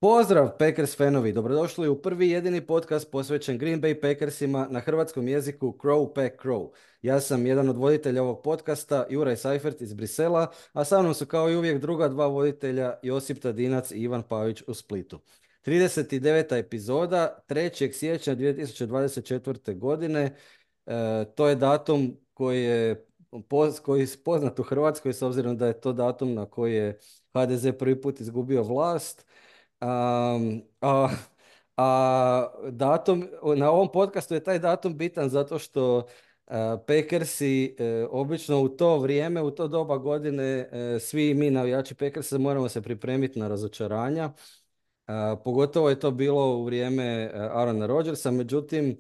Pozdrav Packers fanovi, dobrodošli u prvi jedini podcast posvećen Green Bay Packersima na hrvatskom jeziku Crow Pack Crow. Ja sam jedan od voditelja ovog podcasta, Juraj Seifert iz Brisela, a sa mnom su kao i uvijek druga dva voditelja, Josip Tadinac i Ivan Pavić u Splitu. 39. epizoda, 3. siječnja 2024. godine. To je datum koji je poznat u Hrvatskoj s obzirom da je to datum na koji je HDZ prvi put izgubio vlast. Um, a, datum, na ovom podcastu je taj datum bitan zato što Packersi obično u to vrijeme, u to doba godine, svi mi navijači Packersa moramo se pripremiti na razočaranja. Pogotovo je to bilo u vrijeme Aarona Rodgersa, međutim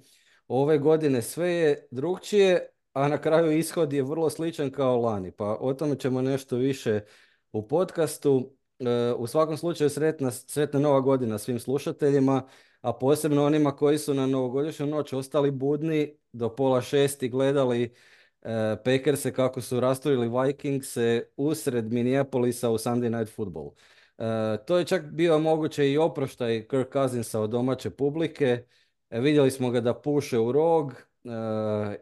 ove godine sve je drugčije, a na kraju ishod je vrlo sličan kao lani, pa o tome ćemo nešto više u podcastu. U svakom slučaju sretna nova godina svim slušateljima, a posebno onima koji su na novogodišnju noć ostali budni do 5:30 i gledali Packerse kako su rasturili Vikingse usred Minneapolisa u Sunday Night Football. To je čak bio moguće i oproštaj Kirk Cousinsa od domaće publike. Vidjeli smo ga da puše u rog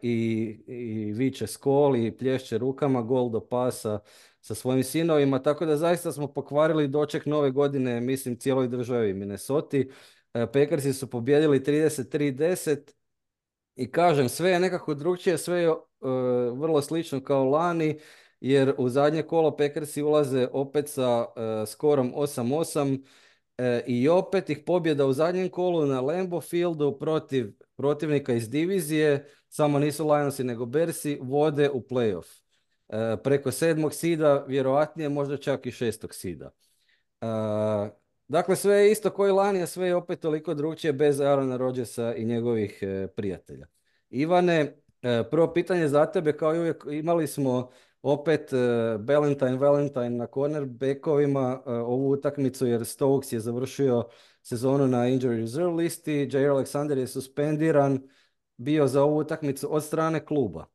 i viče skol i plješće rukama, gol do pasa sa svojim sinovima, tako da zaista smo pokvarili doček nove godine, mislim, cijeloj državi Minnesoti. Packersi su pobijedili 33-10 i kažem, sve je nekako drugčije, sve je vrlo slično kao lani, jer u zadnje kolo Packersi ulaze opet sa skorom 8-8 i opet ih pobjeda u zadnjem kolu na Lambeau Fieldu protiv protivnika iz divizije, samo nisu Lionsi nego Bearsi, vode u playoff. Preko 7. sida, vjerojatnije možda čak i 6. sida. Dakle, sve je isto koji lani, a sve je opet toliko drugčije bez Aarona Rodgersa i njegovih prijatelja. Ivane, prvo pitanje za tebe, kao i uvijek imali smo opet Valentine na cornerbackovima ovu utakmicu, jer Stokes je završio sezonu na injury reserve listi, Jair Alexander je suspendiran bio za ovu utakmicu od strane kluba.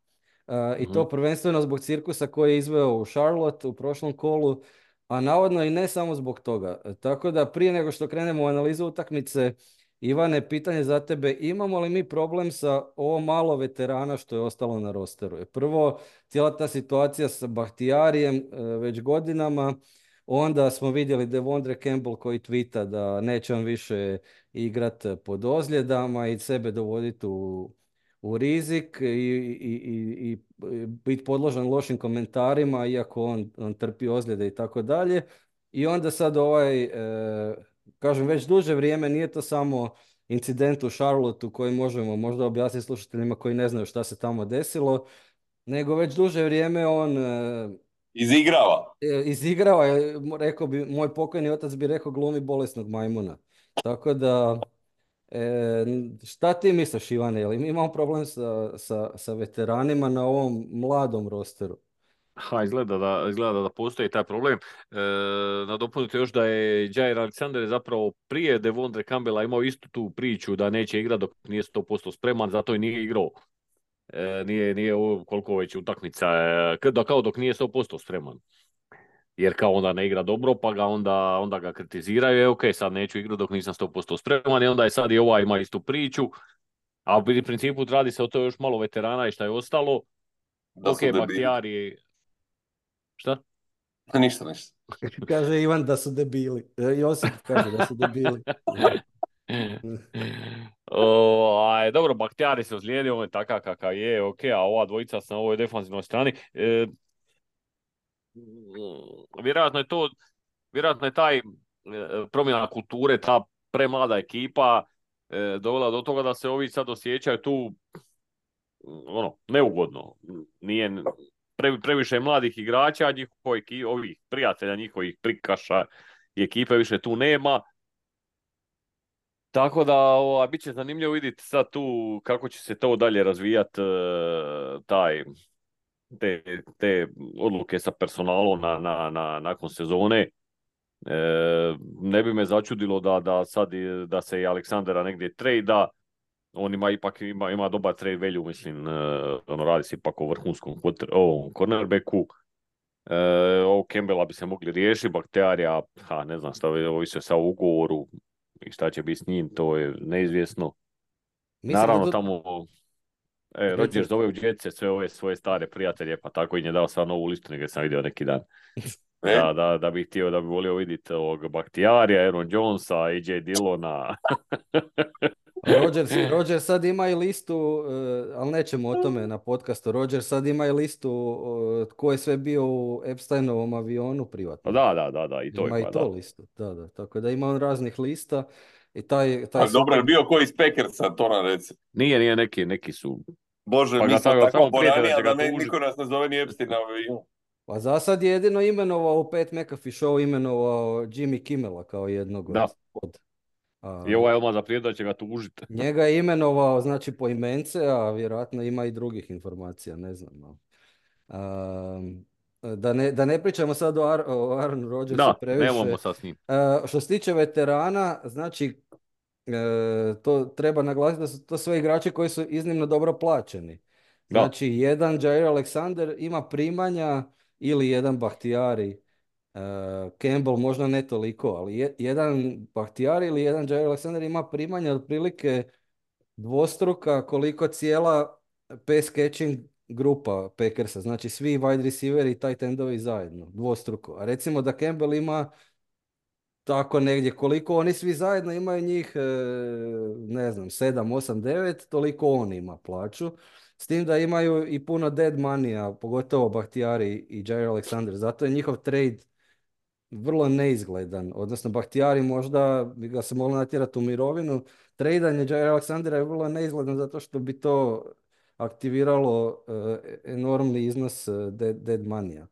I to prvenstveno zbog cirkusa koji je izveo u Charlotte u prošlom kolu, a navodno i ne samo zbog toga. Tako da prije nego što krenemo u analizu utakmice, Ivane, pitanje za tebe, imamo li mi problem sa ovo malo veterana što je ostalo na rosteru? Prvo, cijela ta situacija sa Bahtijarijem već godinama, onda smo vidjeli Devondre Campbell koji tvita da neće on više igrat pod ozljedama i sebe dovoditi u rizik i biti podložen lošim komentarima, iako on trpi ozljede i tako dalje. I onda sad kažem, već duže vrijeme nije to samo incident u Charlotteu koji možemo možda objasniti slušateljima koji ne znaju šta se tamo desilo, nego već duže vrijeme on izigrava, rekao bi, moj pokojni otac bi rekao, glumi bolesnog majmuna. Tako da, šta ti misliš, Ivane, jel mi imamo problem sa veteranima na ovom mladom rosteru? Izgleda da postoji taj problem. Nadopunite još da je Jair Alexander zapravo prije Devondre Campbella imao istu tu priču da neće igrati dok nije 100% spreman, zato i nije igrao. Nije koliko već utakmica, kao dok nije 100% spreman. Jer kao onda ne igra dobro, pa ga onda ga kritiziraju, ok, sad neću igrati dok nisam 100% spreman, i onda je sad i ovaj ima istu priču, a u principu radi se o to još malo veterana i šta je ostalo. Ok, Bahtijari. Šta? Ništa. Kaže Ivan da su debili. Josip kaže da su debili. Dobro, Bahtijari se ozlijedio, on je takav kakav je, ok, a ova dvojica na ovoj defanzivnoj strani. Vjerojatno je taj promjena kulture, ta premlada ekipa dovela do toga da se ovi sad osjećaju tu neugodno. Nije previše mladih igrača, ovih prijatelja, njihovih prikaša i ekipe više tu nema. Tako da bit će zanimljivo vidjeti sad tu kako će se to dalje razvijati, te odluke sa personalom nakon sezone. Ne bi me začudilo da se i Aleksandra negdje trejda. On ima dobar trade value, mislim, radi se ipak o vrhunskom cornerbacku. Ovo Campbella bi se mogli riješiti, Bakterija, ne znam šta, ovisi sa ugovoru i šta će biti s njim, to je neizvjesno. Mislim da Naravno, tu... tamo Reci. Rodgers zove u Jetce sve ove svoje stare prijatelje, pa tako i je dao sad novu listu, nego sam vidio neki dan. E, Da bih htio, da bi volio vidjeti ovog Baktijarija, Aaron Jonesa, AJ Dillona. Rodgers sad ima i listu, ali nećemo o tome na podcastu. Rodgers sad ima i listu tko je sve bio u Epsteinovom avionu Pa privatnom. da, i to Ima ima, i to da. listu, da. Tako da ima on raznih lista i taj ali dobro, je sukob... bio koji iz Packersa, to nam reci. Nije neki su, Bože, pa mi ga smo tako, tako samo prijete da borani, će a ga da tužiti. niko nas ne zove ni Epstein na avion. Pa za sad je jedino imenovao Pat McAfee show, imenovao Jimmy Kimmela kao jednog Da, od... i ovaj odmah zaprijeti da će ga tužiti. Njega je imenovao, znači, po imence, a vjerojatno ima i drugih informacija, ne znam. Da ne pričamo sad o Aaron Rodgersu Da, previše. nemamo sad s njim. Što se tiče veterana, znači, to treba naglasiti da su to sve igrači koji su iznimno dobro plaćeni. Da, Znači, jedan Jair Alexander ima primanja ili jedan Bahtiyari. Campbell možda ne toliko, ali jedan Bahtiyari ili jedan Jair Alexander ima primanja otprilike dvostruka koliko cijela pass catching grupa Packersa, znači svi wide receiveri i tight endovi zajedno, dvostruko. A recimo da Campbell ima tako negdje, koliko oni svi zajedno imaju njih, ne znam, 7, 8, 9, toliko on ima plaću. S tim da imaju i puno dead money, pogotovo Bahtiyari i Jair Alexander. Zato je njihov trade vrlo neizgledan. Odnosno, Bahtiyari možda bi ga se moglo natjerati u mirovinu. Tradanje Jair Alexandera je vrlo neizgledan zato što bi to aktiviralo enormni iznos dead money-a.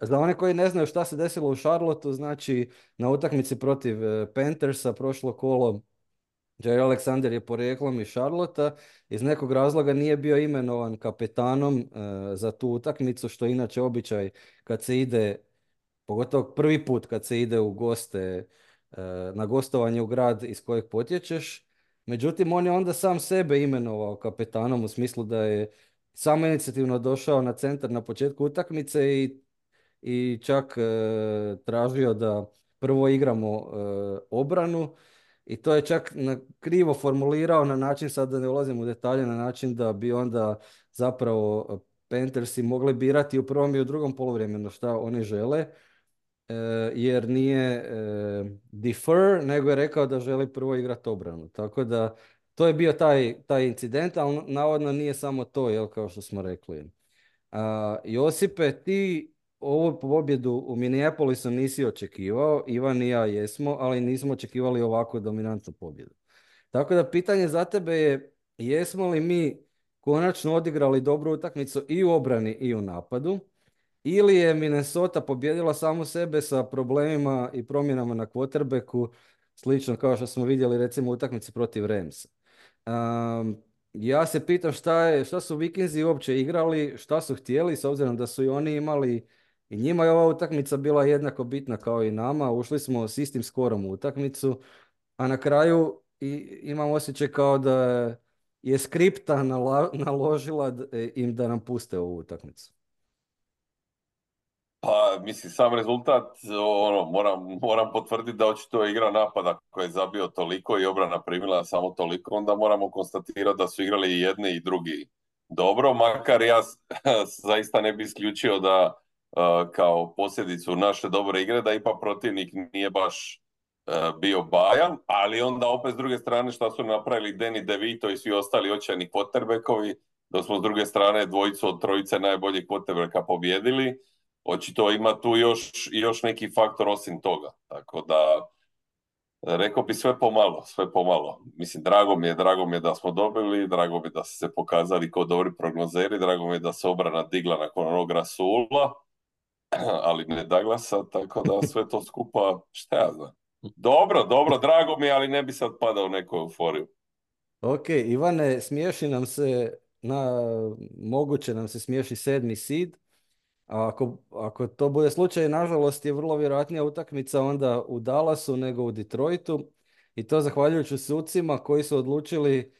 Za one koji ne znaju šta se desilo u Charlotteu, znači na utakmici protiv Panthersa prošlo kolo Jair Alexander je porijeklom iz Charlotta, iz nekog razloga nije bio imenovan kapetanom za tu utakmicu, što je inače običaj kad se ide, pogotovo prvi put kad se ide u goste, na gostovanje u grad iz kojeg potječeš. Međutim, on je onda sam sebe imenovao kapetanom u smislu da je samo inicijativno došao na centar na početku utakmice i čak tražio da prvo igramo obranu i to je čak krivo formulirao na način, sad da ne ulazim u detalje, na način da bi onda zapravo Panthersi mogli birati u prvom i u drugom poluvremenu šta oni žele, jer nije defer, nego je rekao da želi prvo igrati obranu. Tako da to je bio taj incident, ali navodno nije samo to, jel, kao što smo rekli. Josipe, ti ovu pobjedu u Minneapolisu nisi očekivao, Ivan i ja jesmo, ali nismo očekivali ovako dominantnu pobjedu. Tako da pitanje za tebe je, jesmo li mi konačno odigrali dobru utakmicu i u obrani i u napadu, ili je Minnesota pobjedila samu sebe sa problemima i promjenama na quarterbacku, slično kao što smo vidjeli recimo u utakmici protiv Ramsa. Ja se pitam šta su Vikinzi uopće igrali, šta su htjeli, s obzirom da su i oni imali, i njima je ova utakmica bila jednako bitna kao i nama, ušli smo s istim skorom u utakmicu, a na kraju imam osjećaj kao da je skripta naložila im da nam puste ovu utakmicu. Pa, mislim, sam rezultat, ono, moram potvrditi da očito je igra napada koji je zabio toliko i obrana primila samo toliko, onda moramo konstatirati da su igrali i jedni i drugi dobro, makar ja zaista ne bi isključio da kao posljedicu naše dobre igre da ipak protivnik nije baš bio bajan, ali onda opet s druge strane šta su napravili Danny DeVito i svi ostali očajni quarterbackovi, da smo s druge strane dvojicu od trojice najboljih quarterbacka pobjedili. Očito ima tu još neki faktor osim toga. Tako da, rekao bi sve pomalo. Mislim, drago mi je da smo dobili, drago mi je da su se pokazali kao dobri prognozeri, drago mi je da se obrana digla nakon onog Rasula, ali ne Douglasa, tako da sve to skupa, šta ja znam. Dobro, drago mi je, ali ne bi sad padao u neku euforiju. Ok, Ivane, smiješi nam se, moguće nam se smiješi 7. seed. A ako to bude slučaj, nažalost je vrlo vjerojatnija utakmica onda u Dallasu nego u Detroitu. I to zahvaljujući sucima koji su odlučili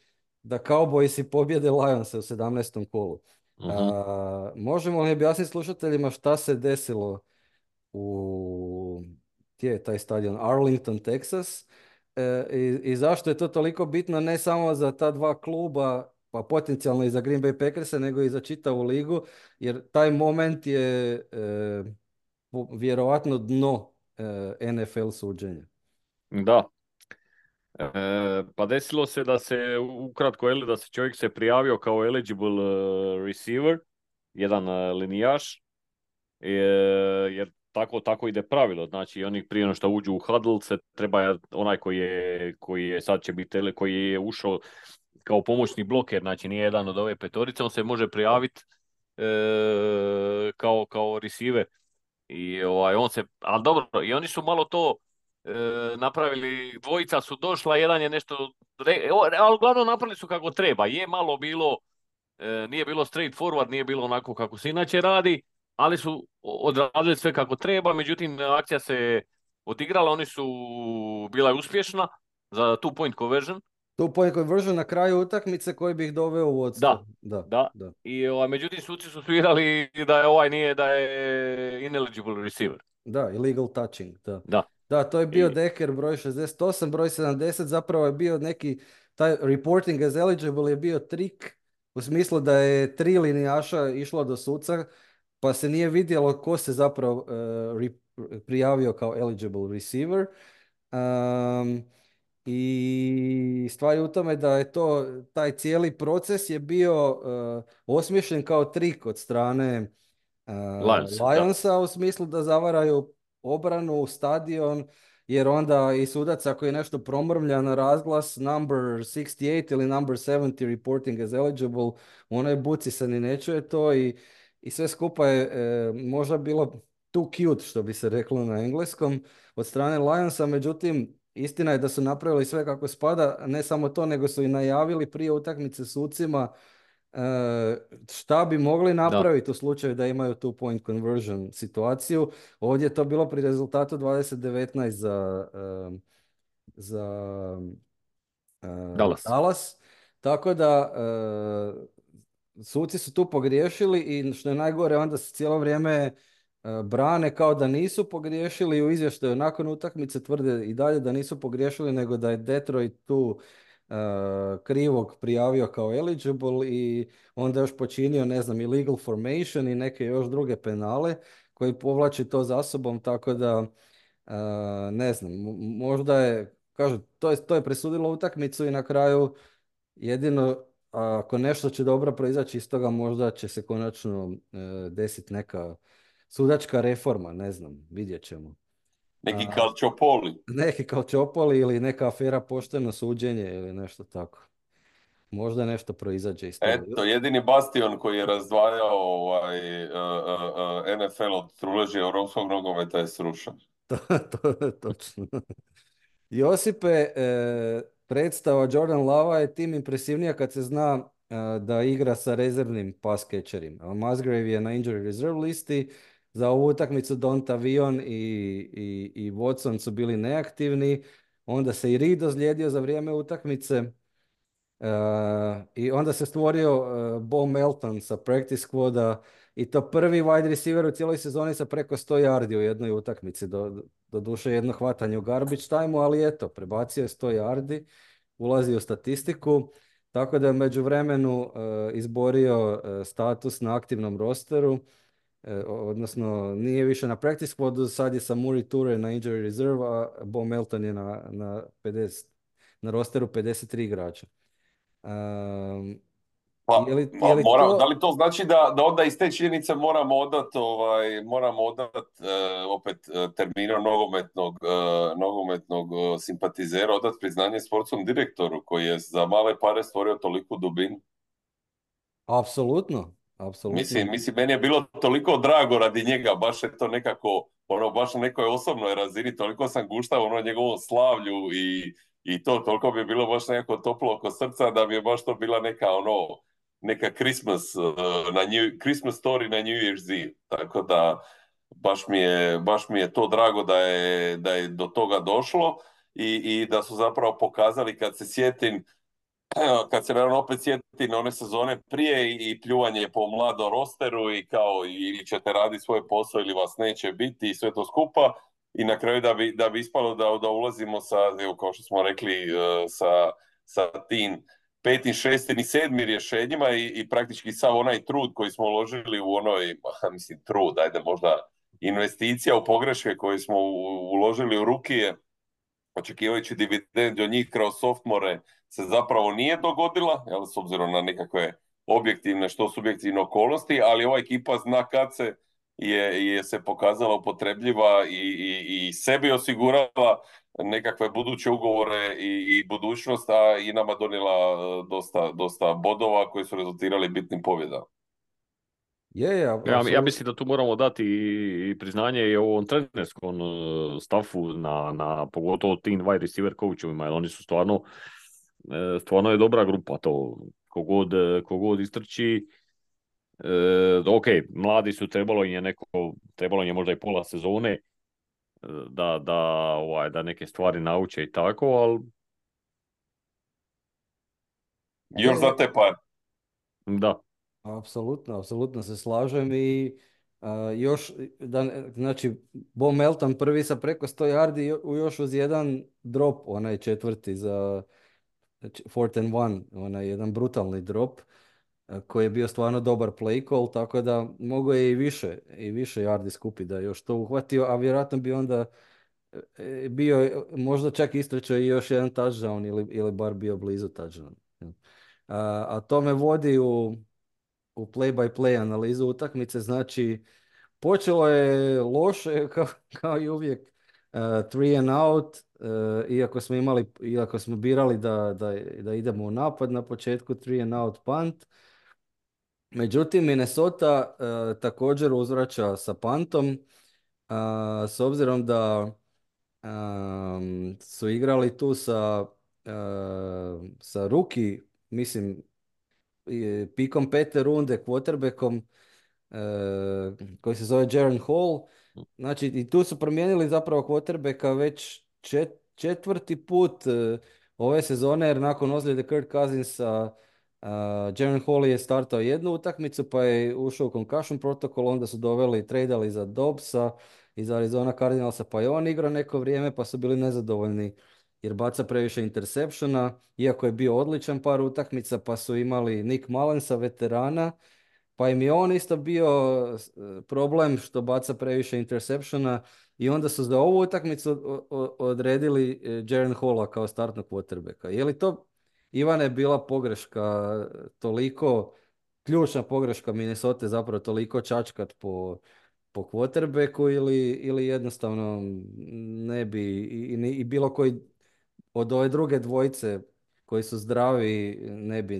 da Cowboysi pobjede Lionse u 17. kolu. Mhm. Možemo li objasniti slušateljima šta se desilo u gdje je taj stadion? Arlington, Texas. I zašto je to toliko bitno ne samo za ta dva kluba, pa potencijalno i za Green Bay Packerse, nego i za čitavu ligu, jer taj moment je vjerovatno dno NFL suđenja. Da. Pa desilo se da se ukratko da se čovjek se prijavio kao eligible receiver, jedan linijaš, jer tako ide pravilo. Znači oni prije no što uđu u huddle se treba onaj koji je sad će biti koji je ušao kao pomoćni bloker, znači nije jedan od ove petorice, on se može prijaviti kao receiver. I on se, ali dobro, i oni su malo to napravili, dvojica su došla, jedan je nešto, ali uglavnom napravili su kako treba. Je malo bilo, nije bilo straight forward, nije bilo onako kako se inače radi, ali su odradili sve kako treba, međutim akcija se odigrala, oni su bila je uspješna za two point conversion. Tu point conversion na kraju utakmice koji bi ih doveo u vodstvo. Da, Da, da. da. I međutim suci su svirali da je ovaj nije, da je ineligible receiver. Da, illegal touching, da. Da. Da, to je bio I, Decker broj 68, broj 70, zapravo je bio neki, taj reporting as eligible je bio trik, u smislu da je 3 linijaša išlo do suca, pa se nije vidjelo ko se zapravo prijavio kao eligible receiver. Um, I stvar je u tome da je taj cijeli proces je bio osmišljen kao trik od strane Lions, da. Lionsa u smislu da zavaraju obranu, stadion, jer onda i sudac ako je nešto promrmlja na razglas number 68 ili number 70 reporting as eligible, u onoj buci se ni ne čuje to i sve skupa je možda bilo too cute, što bi se reklo na engleskom, od strane Lionsa, međutim, istina je da su napravili sve kako spada, ne samo to, nego su i najavili prije utakmice sucima šta bi mogli Da, napraviti u slučaju da imaju two point conversion situaciju. Ovdje je to bilo pri rezultatu 20-19 za Dallas. Dallas. Tako da suci su tu pogriješili i što je najgore onda se cijelo vrijeme brane kao da nisu pogriješili i u izvještaju nakon utakmice tvrde i dalje da nisu pogriješili nego da je Detroit tu krivog prijavio kao eligible i onda još počinio, ne znam, illegal formation i neke još druge penale koji povlači to za sobom, tako da ne znam, možda je, kažu, to je presudilo utakmicu i na kraju jedino ako nešto će dobro proizaći iz toga, možda će se konačno desiti neka sudačka reforma, ne znam, vidjet ćemo. Neki Calciopoli. Neki kao Čopoli ili neka afera pošteno suđenje ili nešto tako. Možda nešto proizađe iz toga. Eto, jedini bastion koji je razdvajao NFL od truleži europskog nogometa je srušen. To je točno. Josipe, predstava Jordan Lava je tim impresivnija kad se zna da igra sa rezervnim pass catcherima. Musgrave je na injury reserve listi, za ovu utakmicu Donta Vion i Watson su bili neaktivni, onda se i Reed ozlijedio za vrijeme utakmice. I onda se stvorio Bo Melton sa practice squada i to prvi wide receiver u cijeloj sezoni sa preko 100 yardi u jednoj utakmici. Doduše jedno hvatanje u garbage time ali eto, prebacio je 100 yardi, ulazi u statistiku, tako da je među vremenu izborio status na aktivnom rosteru, odnosno nije više na practice squadu, sad je sa Muri Toure na injury reserve, a Bo Melton je na rosteru 53 igrača. Pa, Je li da to... li to znači da onda iz te činjenice moramo odat opet terminu nogometnog simpatizera, odat priznanje sportskom direktoru koji je za male pare stvorio toliku dubinu? Apsolutno, apsolutno. Mislim, meni je bilo toliko drago radi njega, baš je to nekako, baš na nekoj osobnoj razini, toliko sam guštao njegovom slavlju i toliko bi bilo baš nekako toplo oko srca da bi je baš to bila neka Christmas story na New Year's Eve. Tako da baš mi je to drago da je do toga došlo i da su zapravo pokazali, kad se sjetim kad se naravno opet sjeti na one sezone prije i pljuvanje po mladom rosteru i kao ili ćete raditi svoj posao ili vas neće biti i sve to skupa i na kraju da bi ispalo da ulazimo sa, evo, kao što smo rekli, sa tim petim, šestim i sedmim rješenjima i praktički sav onaj trud koji smo uložili u onoj, mislim trud, ajde možda investicija u pogreške koje smo uložili u Rukije, očekivajući dividendu od njih kroz softmore, se zapravo nije dogodila, jel, s obzirom na nekakve objektivne, što subjektivne okolnosti, ali ova ekipa zna kad se je se pokazala upotrebljiva i sebi osigurala nekakve buduće ugovore i budućnost, a i nama donijela dosta bodova koji su rezultirali bitnim pobjedama. Ja mislim da tu moramo dati i priznanje i ovom trenerskom staffu na pogotovo tim wide receiver coachovima, jer oni su stvarno je dobra grupa to. Kogod istrči, ok, mladi su, trebalo im je možda i pola sezone da neke stvari nauče i tako, ali još za te par. da. Apsolutno se slažem i još, znači, Bo Melton prvi sa preko 100 yardi još uz jedan drop, onaj četvrti za 4th and 1, onaj jedan brutalni drop koji je bio stvarno dobar play call, tako da mogo je i više yardi skupiti da je još to uhvatio, a vjerojatno bi onda bio, možda čak istrčao i još jedan touchdown ili bar bio blizu touchdown. A to me vodi u play-by-play analizu utakmice, znači počelo je loše kao i uvijek, 3 and out, iako smo birali da idemo u napad na početku, 3 and out punt. Međutim, Minnesota također uzvraća sa puntom, s obzirom da su igrali tu sa rookie, mislim, pikom 5. runde, quarterbackom koji se zove Jaren Hall. Znači, i tu su promijenili zapravo quarterbacka već četvrti put ove sezone, jer nakon ozljede Kirk Cousinsa Jaren Hall je startao jednu utakmicu, pa je ušao u concussion protokol, onda su tradali za Dobbsa iz Arizona Cardinalsa, pa je on igrao neko vrijeme, pa su bili nezadovoljni jer baca previše interseptiona, iako je bio odličan par utakmica, pa su imali Nick Mullensa, veterana, pa im je on isto bio problem što baca previše interseptiona i onda su za ovu utakmicu odredili Jaren Halla kao startnog quarterbacka. Je li to, Ivane, bila pogreška toliko, ključna pogreška Minnesota, zapravo toliko čačkat po quarterbacku ili jednostavno ne bi i bilo koji od ove druge dvojice koji su zdravi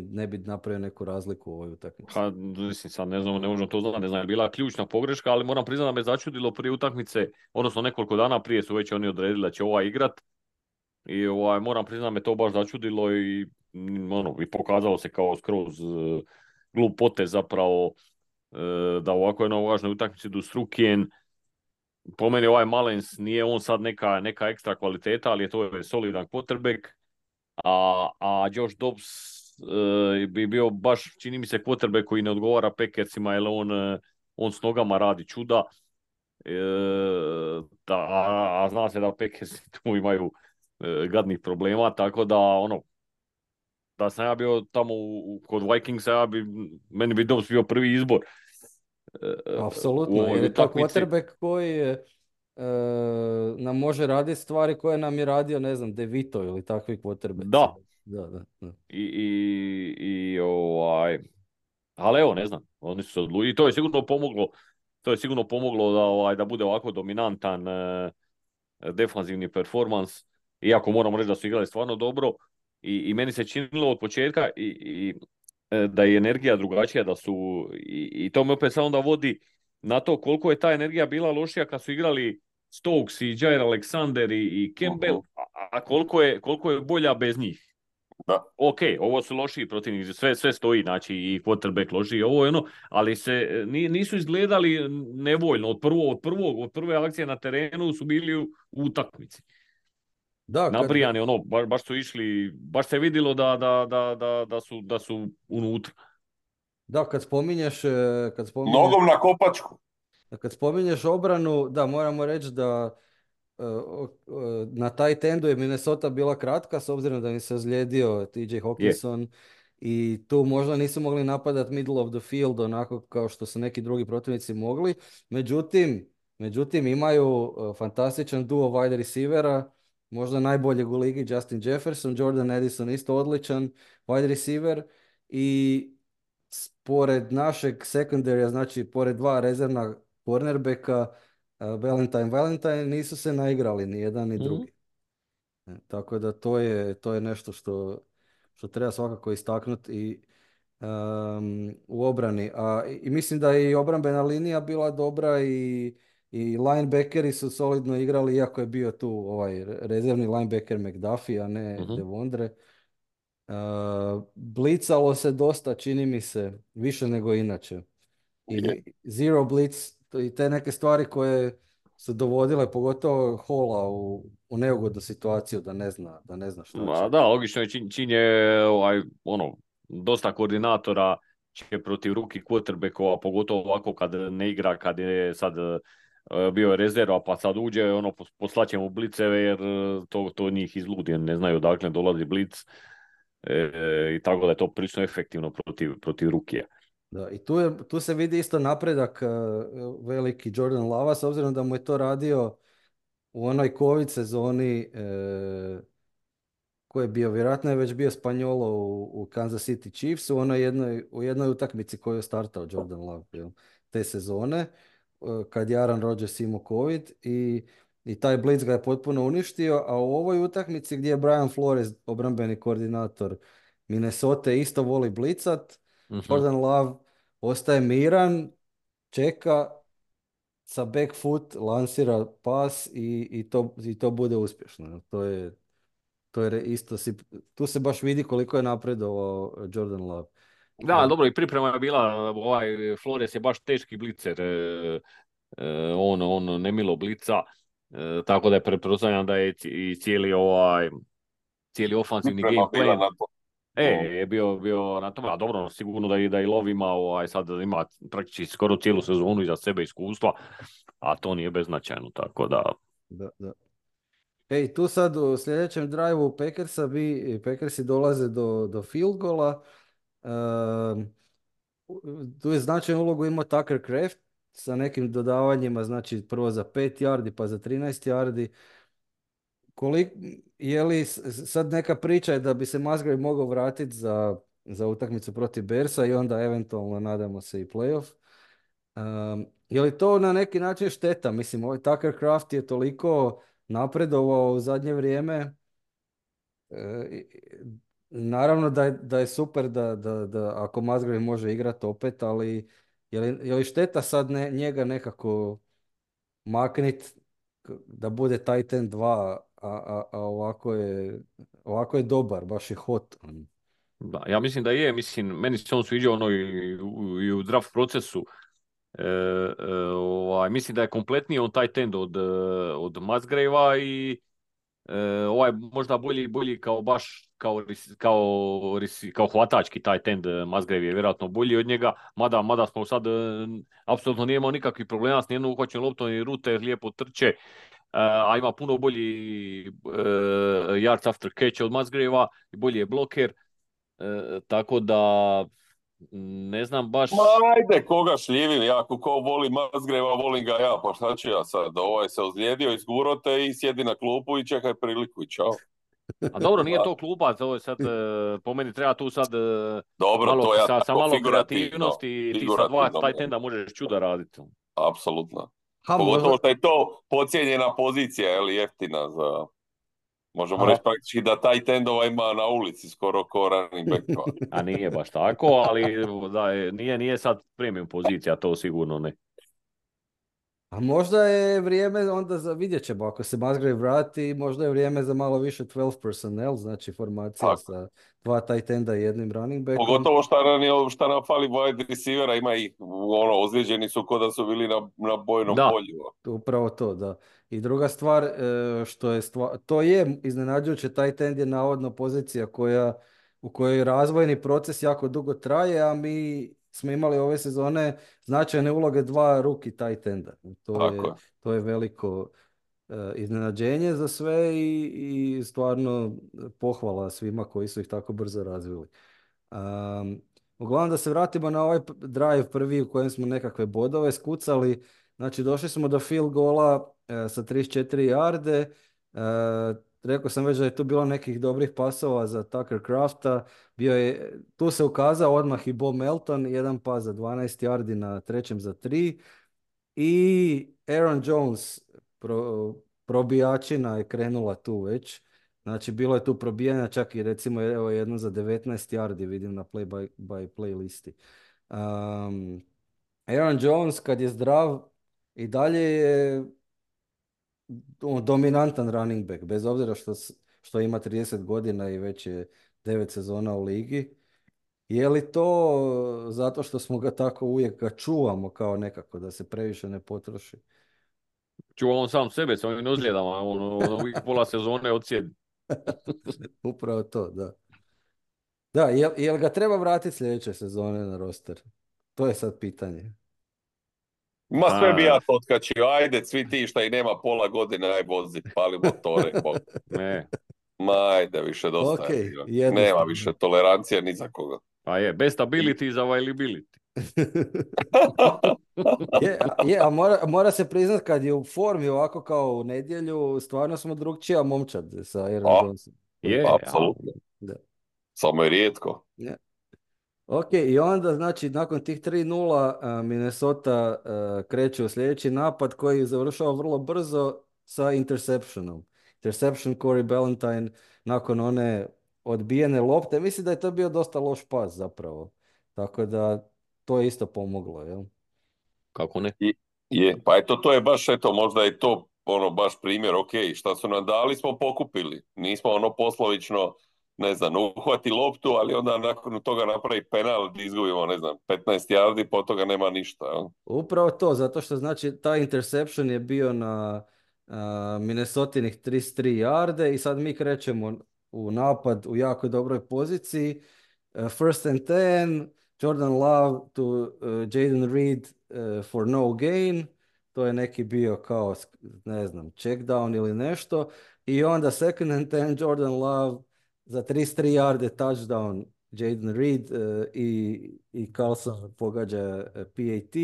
ne bi napravio neku razliku u ovoj utakmici? Pa, mislim, sad ne znam, ne možemo to znati, ne znam, je bila ključna pogreška, ali moram priznati da me začudilo prije utakmice, odnosno nekoliko dana prije su već oni odredili da će igrat i moram priznati da me to baš začudilo i pokazalo se kao skroz glup potez zapravo da u ovako jednoj važnoj utakmici idu s Rukijen. Po meni Mullens nije on sad neka ekstra kvaliteta, ali to je solidan quarterback, a Josh Dobbs bi bio baš, čini mi se, quarterback koji ne odgovara Packersima, jer on s nogama radi čuda, a zna se da Packers tu imaju gadnih problema, tako da da sam ja bio tamo kod Vikingsa, meni bi Dobbs bio prvi izbor. Apsolutno, jer je to quarterback koji nam može raditi stvari koje nam je radio, ne znam, DeVito ili takvi quarterbacki. Da. I ali evo, ne znam, oni su odlučili i to je sigurno pomoglo da bude ovako dominantan defanzivni performans, iako moramo reći da su igrali stvarno dobro i meni se činilo od početka da je energija drugačija, da su i to me opet sad onda vodi na to koliko je ta energija bila lošija kad su igrali Stokes i Jair Alexander i Campbell, a koliko je bolja bez njih. Da. Ok, ovo su lošiji protivnici, sve stoji, znači i quarterback lošiji, ali se nisu izgledali nevoljno od prve akcije na terenu su bili u utakmici. Da, Nabrijani, ono, baš su išli, baš se vidjelo da su unutra. da, kad spominješ, Nogom na kopačku. kad spominješ obranu, da, moramo reći da na taj tendu je Minnesota bila kratka s obzirom da im se ozlijedio TJ Je. Hawkinson i tu možda nisu mogli napadat middle of the field onako kao što su neki drugi protivnici mogli. Međutim imaju fantastičan duo wide receivera, možda najboljeg u ligi Justin Jefferson, Jordan Addison isto odličan wide receiver i pored našeg secondarya, znači pored dva rezervna cornerbacka, Valentine nisu se naigrali ni jedan ni Mhm. drugi. Tako da to je nešto što treba svakako istaknuti i u obrani. I mislim da je i obrambena linija bila dobra i linebackeri su solidno igrali, iako je bio tu ovaj rezervni linebacker McDuffie, a ne Mhm. Devondre. Blicalo se dosta, čini mi se, više nego inače. I Je. zero blitz i te neke stvari koje su dovodile pogotovo Hola u neugodnu situaciju da ne zna šta će. Ma da, logično je čin je ono, dosta koordinatora će protiv ruki quarterbackova, pogotovo ovako kad ne igra, kad je sad bio je rezerva, pa sad uđe, ono, poslaće mu bliceve jer to njih izludi, ne znaju odakle dolazi blic. I tako da je to prilično efektivno protiv rukija. Da, i tu se vidi isto napredak veliki Jordan Lava, s obzirom da mu je to radio u onoj COVID sezoni ko je bio, vjerojatno je već bio Spanjolo u Kansas City Chiefs u jednoj utakmici koju je startao Jordan Love te sezone, kad je Aaron Rodgers imao COVID i taj blitz ga je potpuno uništio, a u ovoj utakmici gdje je Brian Flores, obrambeni koordinator Minnesota, isto voli blicat, Mhm. Jordan Love ostaje miran, čeka, sa back foot lansira pas i to bude uspješno. Isto tu se baš vidi koliko je napredovao Jordan Love. Da, dobro, i priprema je bila, Flores je baš teški blicer, on nemilo blica, tako da je pretpostavljam da je i cijeli ofanzivni Priprema game bila plan, na to. je bio na tome, a dobro, sigurno da i Lov ima, sad ima praktički skoro cijelu sezonu iza sebe iskustva, a to nije beznačajno, tako da... Da, da. Ej, tu sad u sljedećem drive-u Packersi dolaze do field goala. Ehm, Tu je značajnu ulogu imao Tucker Kraft sa nekim dodavanjima, znači prvo za 5 yardi pa za 13 yardi. Je li sad neka priča je da bi se Musgrave mogao vratiti za utakmicu protiv Bersa i onda eventualno nadamo se i playoff. Je li to na neki način šteta? Mislim, ovaj Tucker Kraft je toliko napredovao u zadnje vrijeme. Naravno da je super da ako Musgrave može igrati opet, ali je li šteta sad njega nekako maknit da bude Titan 2, a ovako je dobar, baš je hot. Da, ja mislim da je, meni se on sviđa ono i u draft procesu. Mislim da je kompletniji on taj tend od Musgravea i možda bolji kao baš kao hvatački taj tend. Musgrave je vjerojatno bolji od njega, mada smo sad apsolutno nije imao nikakvih problema s nijednom uhvaćenom loptom i rute lijepo trče, a ima puno bolji yards after catch od Musgravea i bolji je bloker. Tako da ne znam baš. Ma ajde, koga šljivim, ja ko voli Musgravea, volim ga ja, pa šta ću ja sad, ovaj se ozlijedio, izguro te i sjedi na klupu i čekaj priliku i čao. A dobro, nije to klubac, ovo je sad, po meni treba tu sad Dobro, malo, to ja sa tako malo figurativno, kreativnosti, ti sa dva taj tenda možeš čuda raditi. apsolutno. Ha, Pogotovo što je to podcijenjena pozicija, ili jeftina za... Možemo Aha. reći praktički da taj tendova ima na ulici skoro ko running backova. A nije baš tako, ali nije sad premium pozicija, to sigurno ne. A možda je vrijeme onda za, vidjet ćemo, ako se Musgrave vrati, možda je vrijeme za malo više 12 personnel, znači formacija Tako. sa dva tight enda i jednim running backom. Pogotovo šta nam fali wide receivera, ima ih, ozlijeđeni su ko da su bili na bojnom Da, polju. Upravo to, da. I druga stvar, što je to je iznenađujuće, tight end je navodno pozicija u kojoj razvojni proces jako dugo traje, a mi smo imali ove sezone značajne uloge dva rookie tight enda. Tako je. To je veliko iznenađenje za sve i stvarno pohvala svima koji su ih tako brzo razvili. Uglavnom da se vratimo na ovaj drive prvi u kojem smo nekakve bodove skucali. Znači došli smo do field goala sa 34 yarde. Rekao sam već da je tu bilo nekih dobrih pasova za Tucker Crafta. Tu se ukazao odmah i Bo Melton, jedan pas za 12 yardi na trećem za 3. I Aaron Jones, probijačina je krenula tu već. Znači, bilo je tu probijanja, čak i recimo evo jedno za 19 yardi vidim na play play listi. Aaron Jones kad je zdrav i dalje je dominantan running back, bez obzira što ima 30 godina i već je 9 sezona u ligi. Je li to zato što smo ga tako uvijek ga čuvamo kao nekako da se previše ne potroši? čuva on sam sebe s ovim ozljedama, on uvijek pola sezone odsjedi. Upravo to, da. Da, jel ga treba vratiti sljedeće sezone na roster? To je sad pitanje. Ma sve bi A, ja to otkačio, ajde, svi ti šta i nema pola godine, aj vozi, pali motore, ne, ma ajde, više dosta Ok, je bilo. Nema jednostavno. više tolerancije ni za koga. pa je, best ability is availability. A mora se priznat kad je u formi ovako kao u nedjelju, stvarno smo drugčija momčad sa Aaron A, Johnson. Je, apsolutno. Da. Samo je rijetko. Ja. Ok, i onda znači nakon tih 3:0 Minnesota kreće u sljedeći napad koji završava vrlo brzo sa interceptionom. Interception Corey Ballantyne nakon one odbijene lopte. Mislim da je to bio dosta loš pas zapravo. Tako da to je isto pomoglo, jel? kako ne? I, pa eto, to je baš, eto, možda je to baš primjer, ok, šta su nam dali smo pokupili. Nismo poslovično, ne znam, uhvati loptu, ali onda nakon toga napravi penal gdje izgubimo, ne znam, 15 yardi, po toga nema ništa. Jel? Upravo to, zato što znači taj interception je bio na Minnesotinih 33 yarde i sad mi krećemo u napad u jako dobroj poziciji. First and 10, Jordan Love to Jaden Reed for no gain. To je neki bio kao, ne znam, check down ili nešto. I onda second and 10, Jordan Love za 33 yarde touchdown Jaden Reed i Carlson pogađa PAT.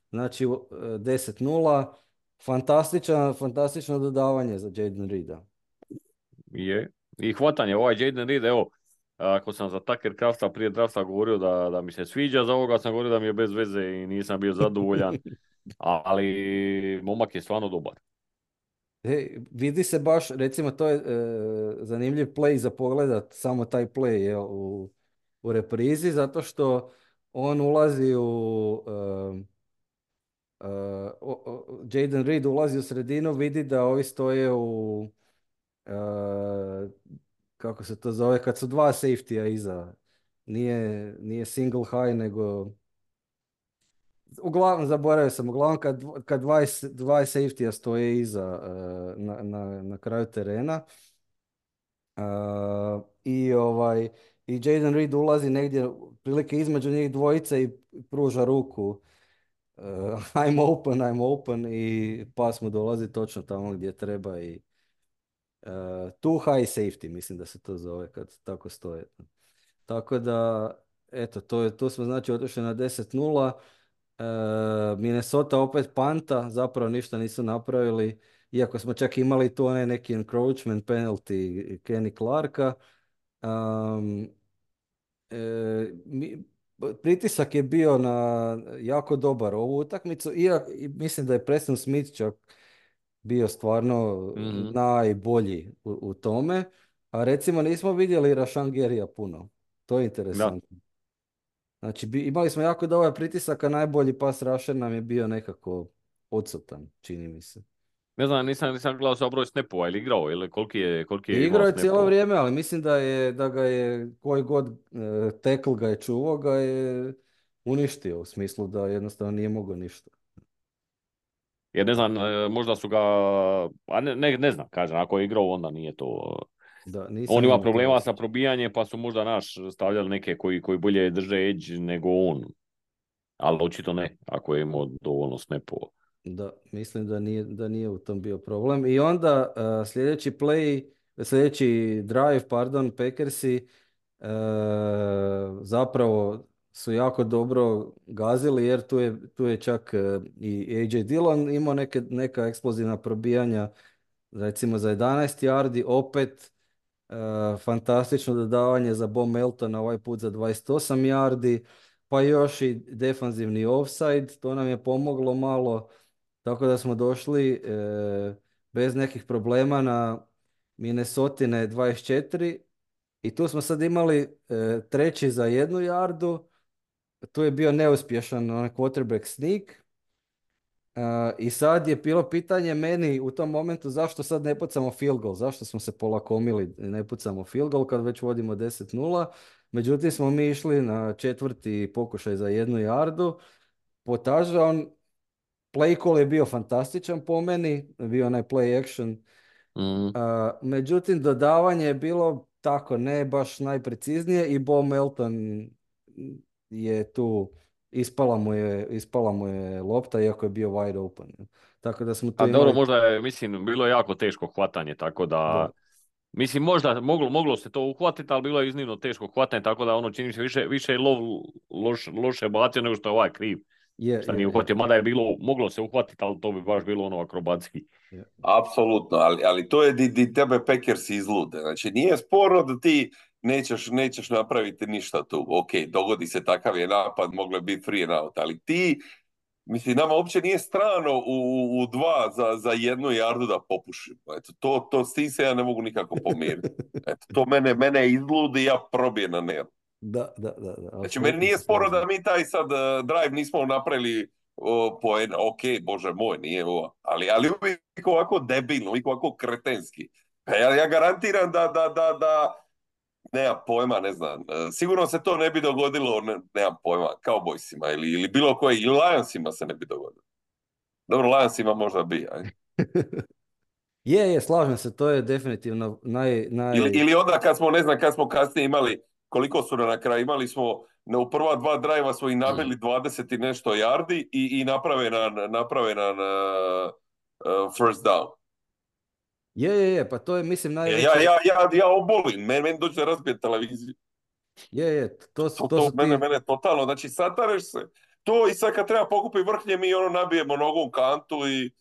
Znači 10:0. Fantastično dodavanje za Jaden Reeda. Je. I hvatanje, ovaj Jaden Reed, evo, ako sam za Tucker Crafta prije drafta govorio da mi se sviđa, za ovoga sam govorio da mi je bez veze i nisam bio zadovoljan, ali momak je stvarno dobar. Vidi se baš, recimo to je zanimljiv play za pogledat, samo taj play je u reprizi, zato što on ulazi Jaden Reed ulazi u sredinu, vidi da ovi stoje uh, kako se to zove, kad su dva safety-a iza. Nije single high, nego uglavnom, zaboravio sam, uglavnom kad dva safety-a stoje iza na kraju terena i Jaden Reed ulazi negdje prilike između njih dvojice i pruža ruku I'm open i pas mu dolazi točno tamo gdje treba i too high safety, mislim da se to zove kad tako stoje. Tako da, eto, to smo znači otišli na 10:0. Minnesota opet panta, zapravo ništa nisu napravili, iako smo čak imali tu onaj neki encroachment penalty Kenny Clarka. Pritisak je bio na jako dobar ovu utakmicu i mislim da je Preston Smith čak bio stvarno najbolji u tome, a recimo nismo vidjeli Rashan Garyja puno. To je Da. interesantno. Znači, imali smo jako dobar pritisak, a najbolji pas rusher nam je bio nekako odsutan, čini mi se. Ne znam, nisam gledao sa broj snapova ili igrao, ili koliki je imao Igrao je cijelo snapova. vrijeme, ali mislim da ga je, koji god tackle ga je čuvao, ga je uništio, u smislu da jednostavno nije mogao ništa. Jer ne znam, možda su ga, a ne znam, kažem, ako je igrao onda nije to. Da, On nisam ima imao taj problema sa osjećaj. probijanjem pa su možda stavljali neke koji bolje drže edge nego on. Ali očito ne, ako je imao dovoljno snapova. Da, mislim da nije u tom bio problem. I onda sljedeći drive, pardon, Packersi zapravo su jako dobro gazili jer tu je čak i AJ Dillon imao neka eksplozivna probijanja, recimo za 11 yardi, opet fantastično dodavanje za Bo Meltona, ovaj put za 28 yardi, pa još i defanzivni offside, to nam je pomoglo malo, tako da smo došli bez nekih problema na Minnesotine 24 i tu smo sad imali treći za 1 yardu, tu je bio neuspješan onaj quarterback sneak. I sad je bilo pitanje meni u tom momentu zašto sad ne pucamo field goal, zašto smo se polakomili i ne pucamo field goal kad već vodimo 10-0. Međutim smo mi išli na četvrti pokušaj za 1 yardu, potažan, play call je bio fantastičan po meni, bio onaj play action. Mm. Međutim dodavanje je bilo tako ne baš najpreciznije i Bo Melton je tu ispala mu je lopta iako je bio wide open. Tako da smo tu A dobro, imali možda je, mislim, bilo je jako teško hvatanje, tako da, da. mislim, možda moglo se to uhvatiti, ali bilo je iznimno teško hvatanje, tako da ono čini se više je loše bacio nego što je ovaj kriv. Šta nije Je. uhvatio, mada je bilo, moglo se uhvatiti, ali to bi baš bilo ono akrobatski. Je. Apsolutno, ali to je di tebe Packers izlude. Znači, nije sporno da ti nećeš napraviti ništa tu. Ok, dogodi se takav je napad, moglo je biti free and out, ali ti, mislim, nama uopće nije strano u dva za 1 yardu da popušimo. Eto, s tim se ja ne mogu nikako pomiriti. Eto, to mene izludi, ja probijem na nervu. Da, Znači, meni apsolutno nije se sporo slažem. da mi taj sad drive nismo napravili poen, ok, bože moj, nije ovo, ali uvijek ovako debilno, uvijek ovako kretenski. Pa ja garantiram da nemam pojma, ne znam, sigurno se to ne bi dogodilo, nemam pojma, Cowboysima ili bilo koji, ili Lionsima se ne bi dogodilo. Dobro, Lionsima možda bi, aj. Slažem se, to je definitivno Ili onda kad smo kasnije imali, koliko su na kraju, imali smo, u prva dva drajva smo i nabili 20 i nešto yardi i naprave nam first down. pa to je mislim Ja, najveće, ja, ja, ja obolim, meni dođe razbije televiziju. to su ti, Mene totalno, znači satareš se, to i sad kad treba pokupiti vrhnje mi ono nabijemo nogom kantu i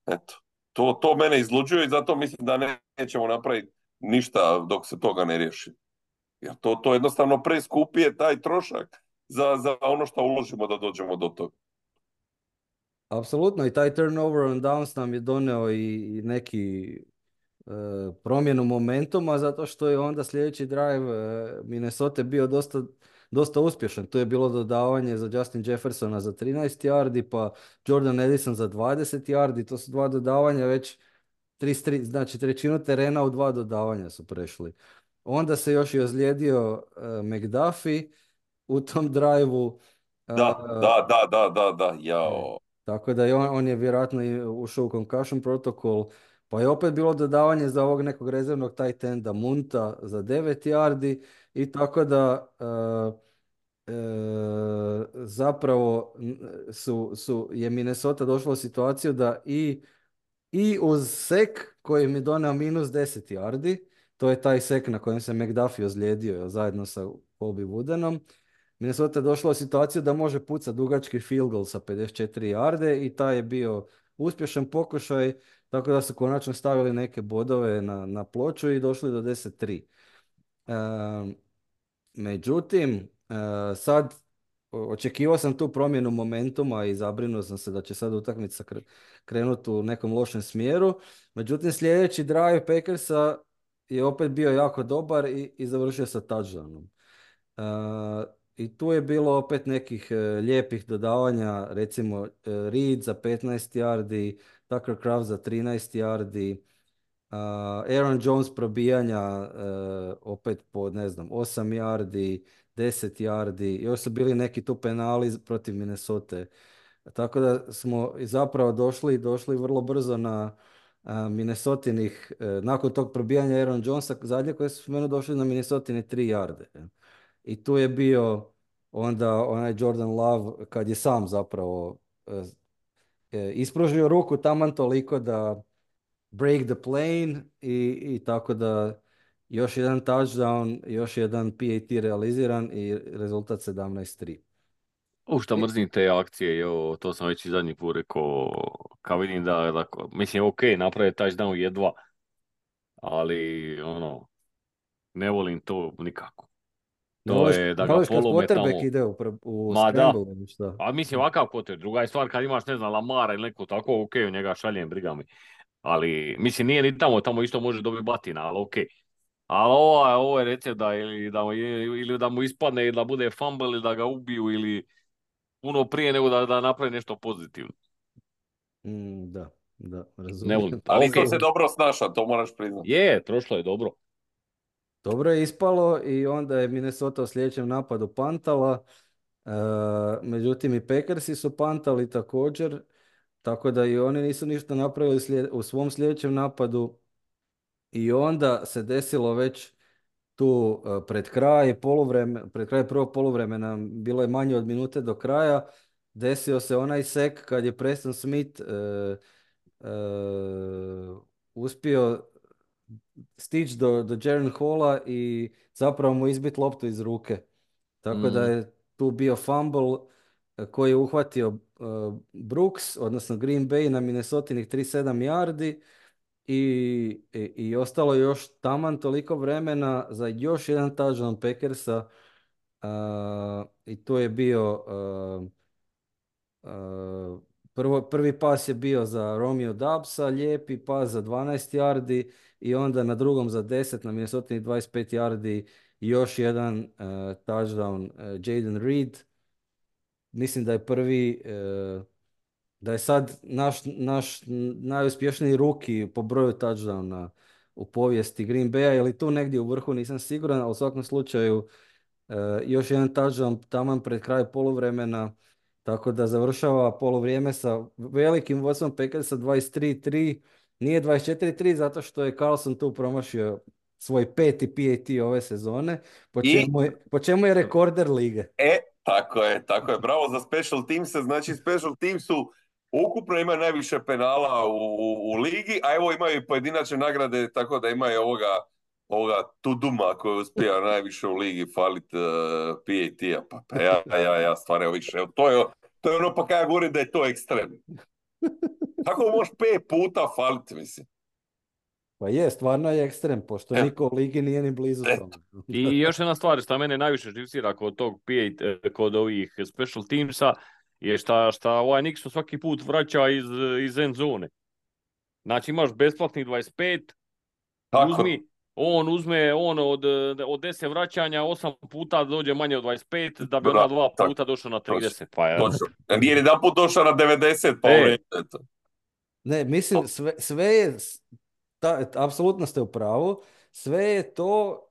eto, to mene izluđuje i zato mislim da nećemo napraviti ništa dok se toga ne riješi. Jer to jednostavno preskupije taj trošak za ono što uložimo da dođemo do toga. apsolutno i taj turnover on downs nam je doneo i neki promjenu momentuma zato što je onda sljedeći drive Minnesota bio dosta uspješan. To je bilo dodavanje za Justin Jeffersona za 13 yardi, pa Jordan Edison za 20 yardi. To su dva dodavanja već znači trećinu terena u dva dodavanja su prešli. Onda se još i ozlijedio McDuffie u tom drive-u. Da, E, jao. Tako da on je vjerojatno i ušao u concussion protokol, pa je opet bilo dodavanje za ovog nekog rezervnog tight enda Munta za 9 yardi i tako da zapravo je Minnesota došla u situaciju da i uz sek koji mi doneo minus 10 yardi, to je taj sek na kojem se McDuffie ozlijedio zajedno sa Colby Woodenom, Minnesota je došla u situaciju da može pucati dugački field goal sa 54 yarde i taj je bio uspješan pokušaj, tako da su konačno stavili neke bodove na ploču i došli do 10-3. Međutim, sad očekivao sam tu promjenu momentuma i zabrinuo sam se da će sad utakmica krenuti u nekom lošem smjeru. Međutim, sljedeći drive Packersa je opet bio jako dobar i završio sa touchdownom. I tu je bilo opet nekih lijepih dodavanja, recimo Reed za 15 yardi, Tucker Kraft za 13 yardi, Aaron Jones probijanja opet po, ne znam, 8 yardi, 10 yardi, još su bili neki tu penali protiv Minnesota. Tako da smo zapravo došli vrlo brzo na Minnesotinih, nakon tog probijanja Aaron Jonesa, zadnje koje su meni došli na Minnesotine 3 yarde. I tu je bio onda onaj Jordan Love kad je sam zapravo ispružio ruku taman toliko da break the plane i tako da još jedan touchdown, još jedan PAT realiziran i rezultat 17-3. Šta mrzim te akcije, to sam već i zadnji put rekao, kad vidim mislim, ok, naprave touchdown jedva, ali ne volim to nikako. To je da Ne ga voliš kad polome quarterback tamo. ide u Ma da, scramble ili šta? a mislim ovakav quarterback. Druga je stvar kad imaš, ne znam, Lamara ili neko tako, ok, u njega šaljem, briga mi. Ali, mislim, nije ni tamo isto može dobiti batina, ali ok. Ali ovo je recept ili da mu ispadne, ili da bude fumble, ili da ga ubiju, ili puno prije nego da napravi nešto pozitivno. Da, Ne razumijem. volim. Ali Ok, isto se dobro snaša, to moraš priznati. prošlo je dobro. Dobro je ispalo i onda je Minnesota u sljedećem napadu pantala. Međutim i Packersi su pantali također, tako da i oni nisu ništa napravili u svom sljedećem napadu. I onda se desilo već tu pred kraj prvog poluvremena, bilo je manje od minute do kraja, desio se onaj sek kad je Preston Smith uspio stići do Jaren Halla i zapravo mu izbit loptu iz ruke. Tako da je tu bio fumble koji je uhvatio Brooks, odnosno Green Bay na Minnesotinih 37 yardi i ostalo je još taman toliko vremena za još jedan touchdown Packersa. I to je bio prvi pas je bio za Romeo Doubsa, lijepi pas za 12 yardi i onda na drugom za 10 na Minnesota 25 yardi još jedan touchdown Jaden Reed. Mislim da je da je sad naš najuspješniji rookie po broju touchdowna u povijesti Green Baya, ili tu negdje u vrhu, nisam siguran, ali u svakom slučaju još jedan touchdown taman pred kraj poluvremena, tako da završava poluvrijeme sa velikim vodstvom Packersa 23-3, nije 24-3 zato što je Carlson tu promašio svoj peti PAT ove sezone, po čemu je rekorder lige. Tako je. Bravo za special teams. Znači, special teamsu ukupno ima najviše penala u ligi, a evo imaju i pojedinačne nagrade, tako da imaju ovoga Tuduma koji uspija najviše u ligi falit PAT-a. Pa ja stvarno više. To je ono pa kada ja govorim da je to ekstrem. Kako možeš 5 puta falit, mislim? Pa je, stvarno je ekstrem, pošto niko u ligi nije ni blizu tome. I još jedna stvar što mene najviše živcira kod ovih special teamsa je šta ovaj Nixon svaki put vraća iz end zone. Znači imaš besplatnih 25, uzme od 10 vraćanja 8 puta dođe manje od 25, da bi ona 2 puta došao na 30. Pa je. Nije jedan put došao na 90, pa eto. Ne, mislim, sve je, apsolutno ste u pravu, sve je to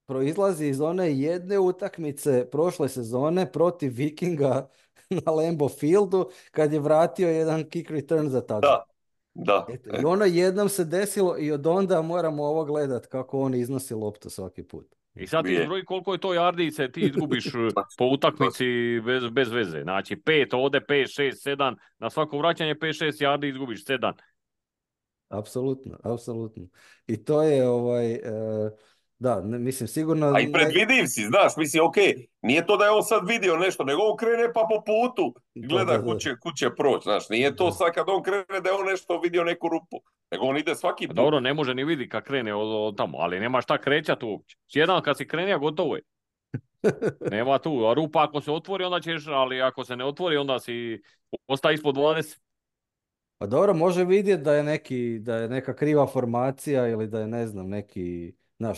proizlazi iz one jedne utakmice prošle sezone protiv Vikinga na Lambeau Fieldu, kad je vratio jedan kick return za touchdown. Da. Eto, i ono jednom se desilo i od onda moramo ovo gledat kako on iznosi loptu svaki put. I sad ti zbroji koliko je to jardice ti izgubiš po utakmici bez veze. Znači 5 ovdje, 5, 6, 7, na svako vraćanje 5, 6 jardi izgubiš 7. Apsolutno. I to je da, mislim sigurno... A i predvidiv si, znaš, mislim, ok, nije to da je on sad vidio nešto, nego on krene pa po putu gleda kuće proći, znaš, nije to sad kad on krene da je on nešto vidio neku rupu, nego on ide svaki put. Dobro, ne može ni vidjeti kad krene od tamo, ali nema šta krećati uopće. Jedan kad si krenija, gotovo je. Nema tu, a rupa ako se otvori onda ćeš, ali ako se ne otvori onda si ostaje ispod 20. Pa dobro, može vidjeti da je neka kriva formacija ili da je, ne znam,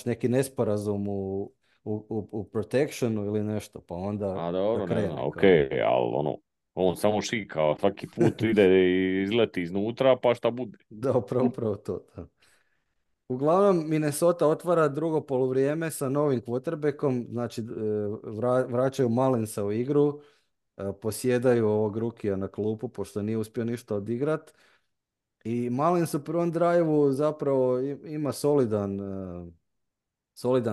neki nesporazum u u protectionu ili nešto, pa onda A da dobro, ne znam, krene ok, kao. ali ono, on samo šika, svaki put ide i izleti iznutra, pa šta bude. Da, upravo to. Da. Uglavnom, Minnesota otvara drugo poluvrijeme sa novim quarterbackom, znači vraćaju Mullinsa u igru, posjedaju ovog rukija na klupu, pošto nije uspio ništa odigrat. I Mullins u prvom drive-u zapravo ima solidan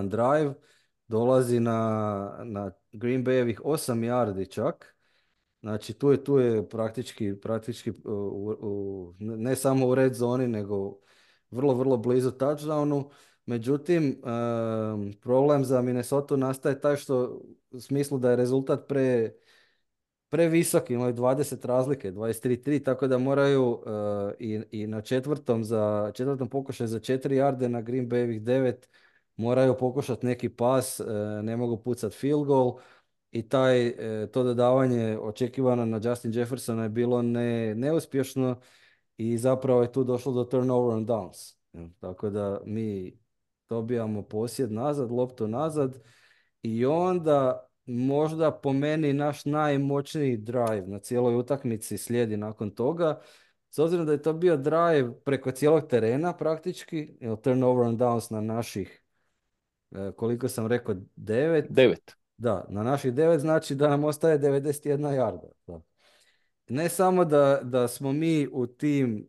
drive, dolazi na Green Bayevih 8 yardi čak. Znači tu je praktički ne samo u red zoni, nego vrlo, vrlo blizu touchdownu. Međutim, problem za Minnesota nastaje taj što u smislu da je rezultat previsok, imaju 20 razlike, 23-3, tako da moraju i na četvrtom pokušaju za 4 yarde na Green Bayevih 9 moraju pokušati neki pas, ne mogu pucati field goal i to dodavanje očekivano na Justin Jeffersona je bilo neuspješno i zapravo je tu došlo do turnover on downs. Tako da mi dobijamo posjed nazad, loptu nazad i onda možda po meni naš najmoćniji drive na cijeloj utakmici slijedi nakon toga. S obzirom da je to bio drive preko cijelog terena praktički, turnover on downs na naših, koliko sam rekao, 9. 9. Da, na naših 9 znači da nam ostaje 91 jarda. Da. Ne samo da smo mi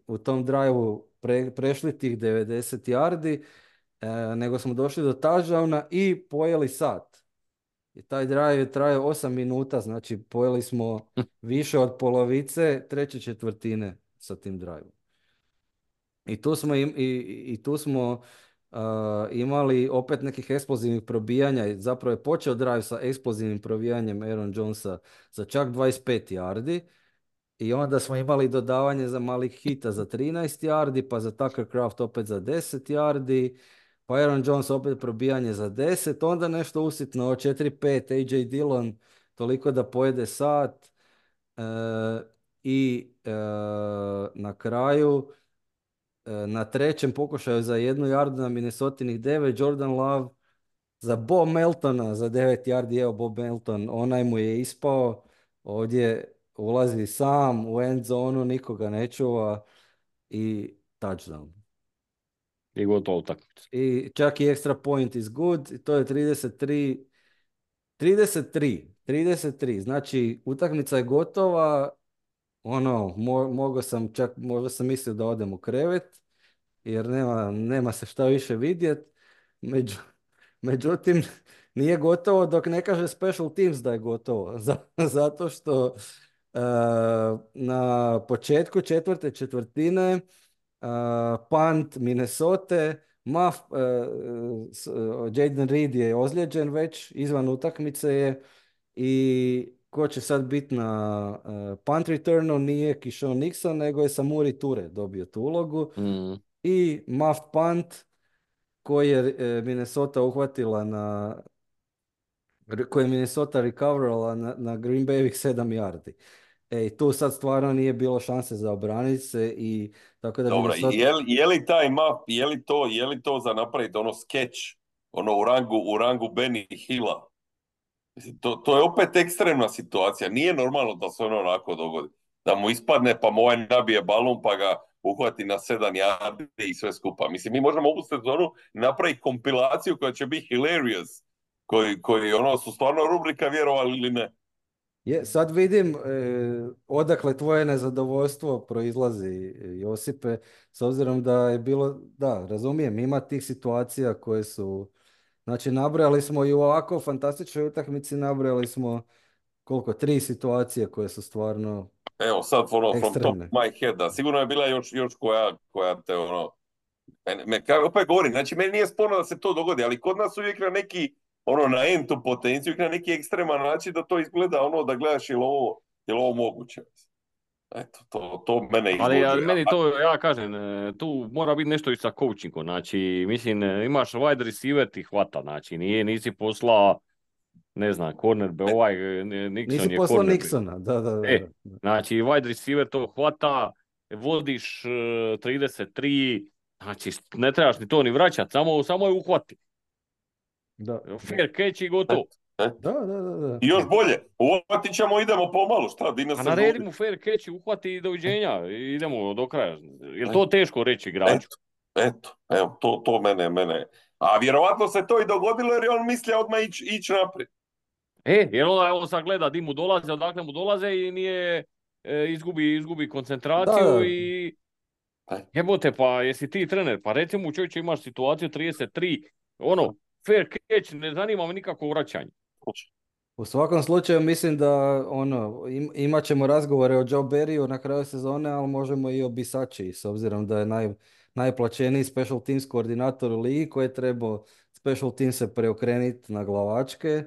u tom drive-u prešli tih 90 yardi, nego smo došli do touchdowna i pojeli sat. I taj drive je trajao 8 minuta, znači pojeli smo više od polovice treće četvrtine sa tim drive-om. I tu smo imali opet nekih eksplozivnih probijanja. Zapravo je počeo drive sa eksplozivnim probijanjem Aaron Jonesa za čak 25 yardi. I onda smo imali dodavanje za malih hita za 13 yardi, pa za Tucker Kraft opet za 10 yardi, pa Aaron Jones opet probijanje za 10, onda nešto usitno 4-5, AJ Dillon toliko da pojede sat i na kraju na trećem pokušaju za 1 yardu na Minnesotinih 9, Jordan Love za Bob Meltona za 9 yardi, evo Bob Melton, onaj mu je ispao, ovdje ulazi sam u end zonu, nikoga ne čuva i touchdown. I gotovo utakmica. I čak i extra point is good, i to je 33. Znači utakmica je gotova, mogao sam čak, možda sam mislio da odem u krevet, jer nema se šta više vidjet. Međutim, nije gotovo dok ne kaže special teams da je gotovo. Zato što na početku četvrte četvrtine punt Minnesota, Jaden Reed je ozlijeđen već, izvan utakmice je i ko će sad biti na punt returnu nije Kishon Nixon, nego je Samori Ture dobio tu ulogu. I muffed punt koji je Minnesota uhvatila koje je Minnesota recoverala na Green Bayovih 7 yardi. I tu sad stvarno nije bilo šanse za obraniti se i tako da Dobro, Minnesota... je li taj map, je li to za napraviti ono sketch, ono u rangu Benny Hilla? Mislim, to je opet ekstremna situacija. Nije normalno da se ono onako dogodi. Da mu ispadne pa mu ovaj nabije balon pa ga uhvati na 7 yardi i sve skupa. Mislim, mi možemo ovu sezonu napraviti kompilaciju koja će biti hilarious. Koji ono su stvarno rubrika vjerovali ili ne. Sad vidim odakle tvoje nezadovoljstvo proizlazi, Josipe, s obzirom da je bilo, da, razumijem, ima tih situacija koje su, znači nabrojali smo i u ovako fantastičnoj utakmici, nabrojali smo koliko, 3 situacije koje su stvarno Evo sad from top ekstremne. my head, da. Sigurno je bila još koja te ono, opet govorim, znači meni nije sporno da se to dogodi, ali kod nas uvijek na neki, ono na entu potenciju, uvijek na neki ekstreman način da to izgleda ono da gledaš je li ovo moguće. Eto, to mene izluđuje. Ali meni to, ja kažem, tu mora biti nešto i sa coachingom, znači, mislim, imaš wide receiver ti hvata, znači, nisi poslao, ne znam, Nixon Nisi je poslao cornerback. Nixona, da. Znači, wide receiver to hvata, vodiš 33, znači, ne trebaš ni to ni vraćati, samo je uhvati. Da, da, Fair catch i gotovo. Eto, eto. da. I još bolje, uvatit ćemo, idemo pomalo, šta, di nas A sad naredi gubi? mu fair catch, uhvati i doviđenja. I idemo do kraja. Je Eto, to teško reći igraču? eto, evo, to mene. A vjerovatno se to i dogodilo jer je on mislio odmah ići naprijed. Jer onda on sad gleda di mu dolaze, odakle mu dolaze i nije, izgubi Da, koncentraciju da. i E, jebote, pa jesi ti trener, pa reci mu čovječe imaš situaciju 33, ono, fair catch, ne zanima me nikako vraćanje. U svakom slučaju mislim da imat ćemo razgovore o Joe Barryu na kraju sezone, ali možemo i o Bisači, s obzirom da je najplaćeniji special teams koordinator u ligi koji je trebao special teams se preokrenuti na glavačke.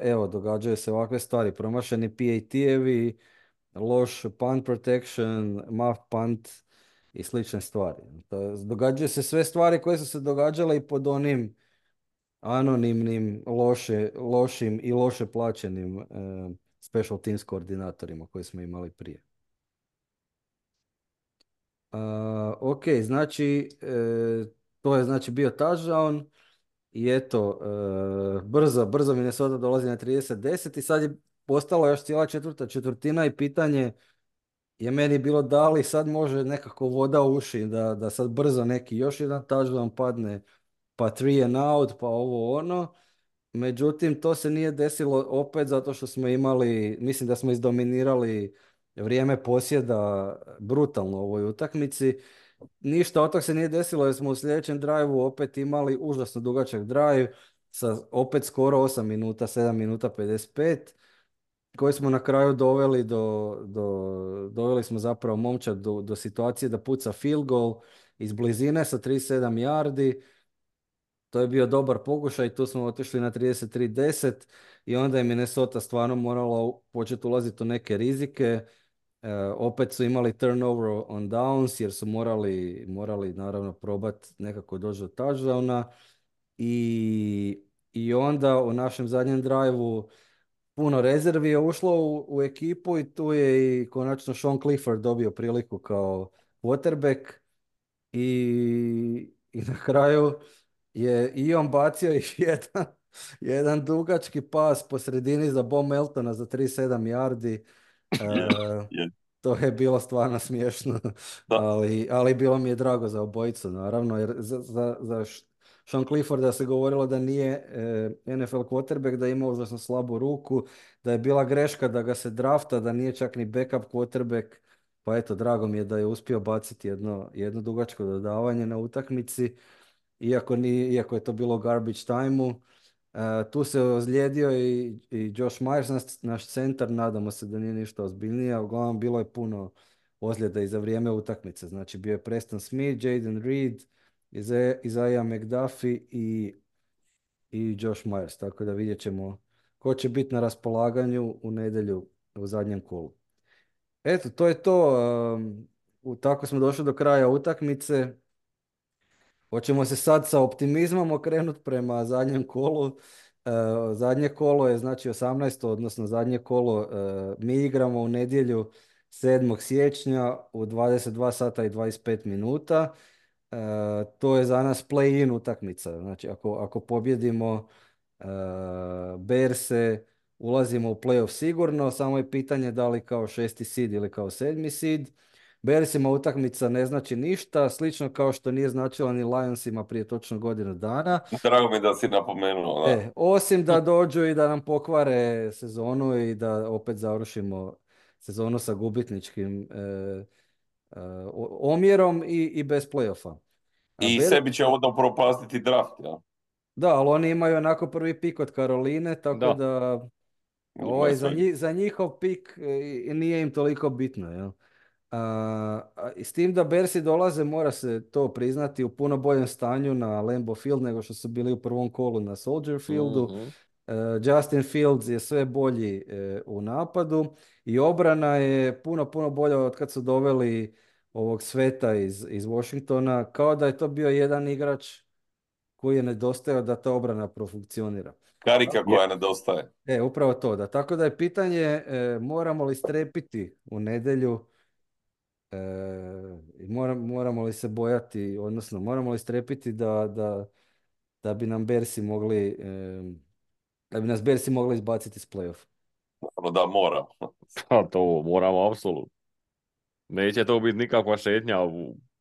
Evo, događaju se ovakve stvari, promašeni PAT-evi, loš punt protection, muff punt i slične stvari. Događaju se sve stvari koje su se događale i pod onim anonimnim, lošim i loše plaćenim special teams koordinatorima koje smo imali prije. Ok, znači to je znači bio touchdown i eto, brzo Minnesota dolazi na 30-10 i sad je postala još cijela četvrta četvrtina i pitanje je meni bilo da li sad može nekako voda u uši da sad brzo neki još jedan touchdown padne, pa 3 and out, pa ovo ono. Međutim, to se nije desilo opet zato što smo imali, mislim da smo izdominirali vrijeme posjeda brutalno u ovoj utakmici. Ništa od toga se nije desilo jer smo u sljedećem driveu opet imali užasno dugačak drive sa opet skoro 8 minuta, 7 minuta 55 koji smo na kraju doveli smo zapravo momčad do situacije da puca field goal iz blizine sa 37 yardi. To je bio dobar pokušaj, tu smo otišli na 33-10 i onda je Minnesota stvarno morala početi ulaziti u neke rizike. Opet su imali turnover on downs jer su morali naravno probati nekako doći do touchdowna i onda u našem zadnjem drive-u puno rezervi je ušlo u ekipu i tu je i konačno Sean Clifford dobio priliku kao quarterback i na kraju je i on bacio i jedan dugački pas po sredini za Bo Meltona za 37 yardi. je, E, je, To je bilo stvarno smiješno, da. ali bilo mi je drago za obojicu, naravno, jer za Sean Clifforda se govorilo da nije NFL quarterback, da ima užasno slabu ruku, da je bila greška da ga se drafta, da nije čak ni backup quarterback, pa eto, drago mi je da je uspio baciti jedno dugačko dodavanje na utakmici, iako je to bilo garbage time-u. Tu se ozlijedio i Josh Myers, naš centar, nadamo se da nije ništa ozbiljnije, uglavnom bilo je puno ozljeda i za vrijeme utakmice. Znači bio je Preston Smith, Jaden Reed, Isaiah McDuffie i Josh Myers, tako da vidjet ćemo ko će biti na raspolaganju u nedjelju u zadnjem kolu. Eto, to je to. Tako smo došli do kraja utakmice. Hoćemo se sad sa optimizmom okrenuti prema zadnjem kolu. Zadnje kolo je znači 18. odnosno zadnje kolo mi igramo u nedjelju 7. siječnja u 22 sata i 25 minuta. To je za nas play-in utakmica. Znači ako pobjedimo Bearse ulazimo u playoff sigurno, samo je pitanje da li kao 6. seed ili kao 7. seed. Bearsima utakmica ne znači ništa, slično kao što nije značila ni Lionsima prije točno godinu dana. Drago mi da si napomenuo, da. Osim da dođu i da nam pokvare sezonu i da opet završimo sezonu sa gubitničkim omjerom i bez playoffa. A I sebi će ovo propastiti draft, ja. Da, ali oni imaju onako prvi pik od Karoline, tako Da. da Imaju za, sve. za njihov pik nije im toliko bitno. Jel? I s tim da Bersi dolaze, mora se to priznati, u puno boljem stanju na Lambeau Field nego što su bili u prvom kolu na Soldier Fieldu. Mhm. Justin Fields je sve bolji u napadu i obrana je puno bolja od kad su doveli ovog Sveta iz Washingtona, kao da je to bio jedan igrač koji je nedostajao da ta obrana profunkcionira. Karika koja nedostaje. Upravo to, da. Tako da je pitanje moramo li strepiti u nedjelju i moramo li se bojati, odnosno moramo li strepiti da da bi nam Bearsi mogli, da bi nas Bearsi mogli izbaciti iz play-off. Ono da moram. Pa to moramo apsolutno. Neće to biti nikakva šetnja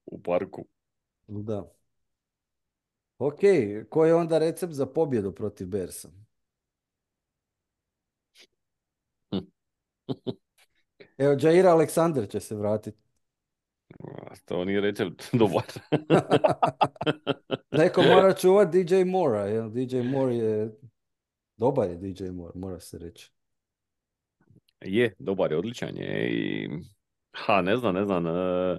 u parku. Da. Ok, koji je onda recept za pobjedu protiv Bearsa? Evo, Jair Alexander će se vratiti. To nije recept dobar. Neko mora čuvati DJ Mora, jel? DJ Moore je, dobar je DJ Moore, mora se reći. Je, dobar je, odličan je i... ne znam. E,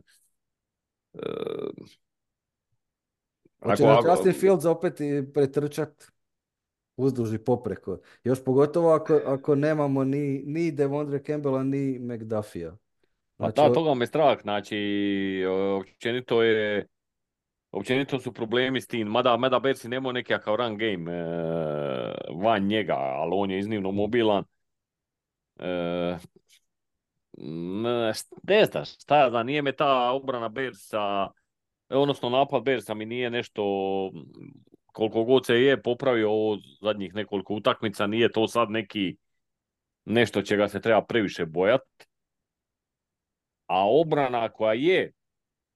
Hoće na Justin Fields opet i pretrčat uzduž i popreko. Još pogotovo ako nemamo ni Devondre Campbella, ni McDuffie-a. Pa Znači, toga me strah, znači, općenito općenito su problemi s tim, mada Bearsi nemaju nekakav run game van njega, ali on je iznimno mobilan. E, ne znaš, šta ja znam, nije me ta obrana Bearsa, odnosno napad Bearsa mi nije nešto, koliko god se je popravio ovo zadnjih nekoliko utakmica, nije to sad nešto čega se treba previše bojati. A obrana koja je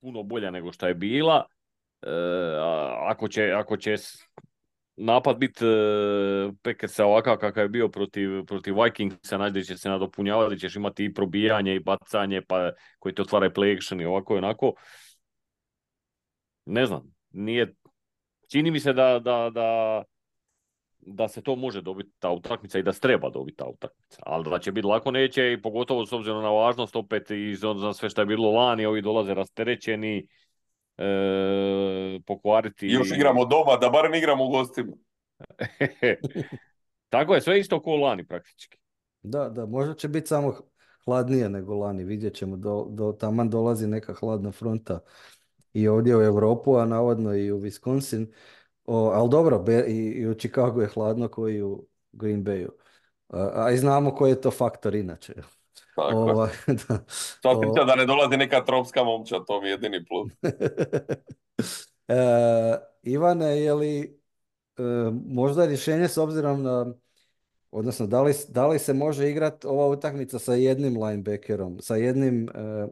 puno bolja nego što je bila, ako će napad biti Packersa ovakav kakav je bio protiv Vikingsa, znači će se nadopunjavati, ćeš imati i probijanje i bacanje, pa koji te otvara play action i ovako i onako. Ne znam, čini mi se da se to može dobiti ta utakmica i da se treba dobiti ta utakmica. Ali da će biti lako neće i pogotovo s obzirom na važnost opet i za sve što je bilo lani, ovi dolaze rasterećeni, pokvariti. Još igramo doma, da barem igramo u gostima. Tako je, sve isto ko lani praktički. Da, možda će biti samo hladnije nego lani, vidjet ćemo, taman dolazi neka hladna fronta i ovdje u Europu, a navodno i u Wisconsin. Ali dobro, i u Chicagu je hladno koji i u Green Bayu. A i znamo koji je to faktor inače. Tako. Da ne dolazi neka tropska momča, to mi je jedini plus. Ivane, je li možda rješenje s obzirom na, odnosno da li se može igrati ova utakmica sa jednim linebackerom, sa jednim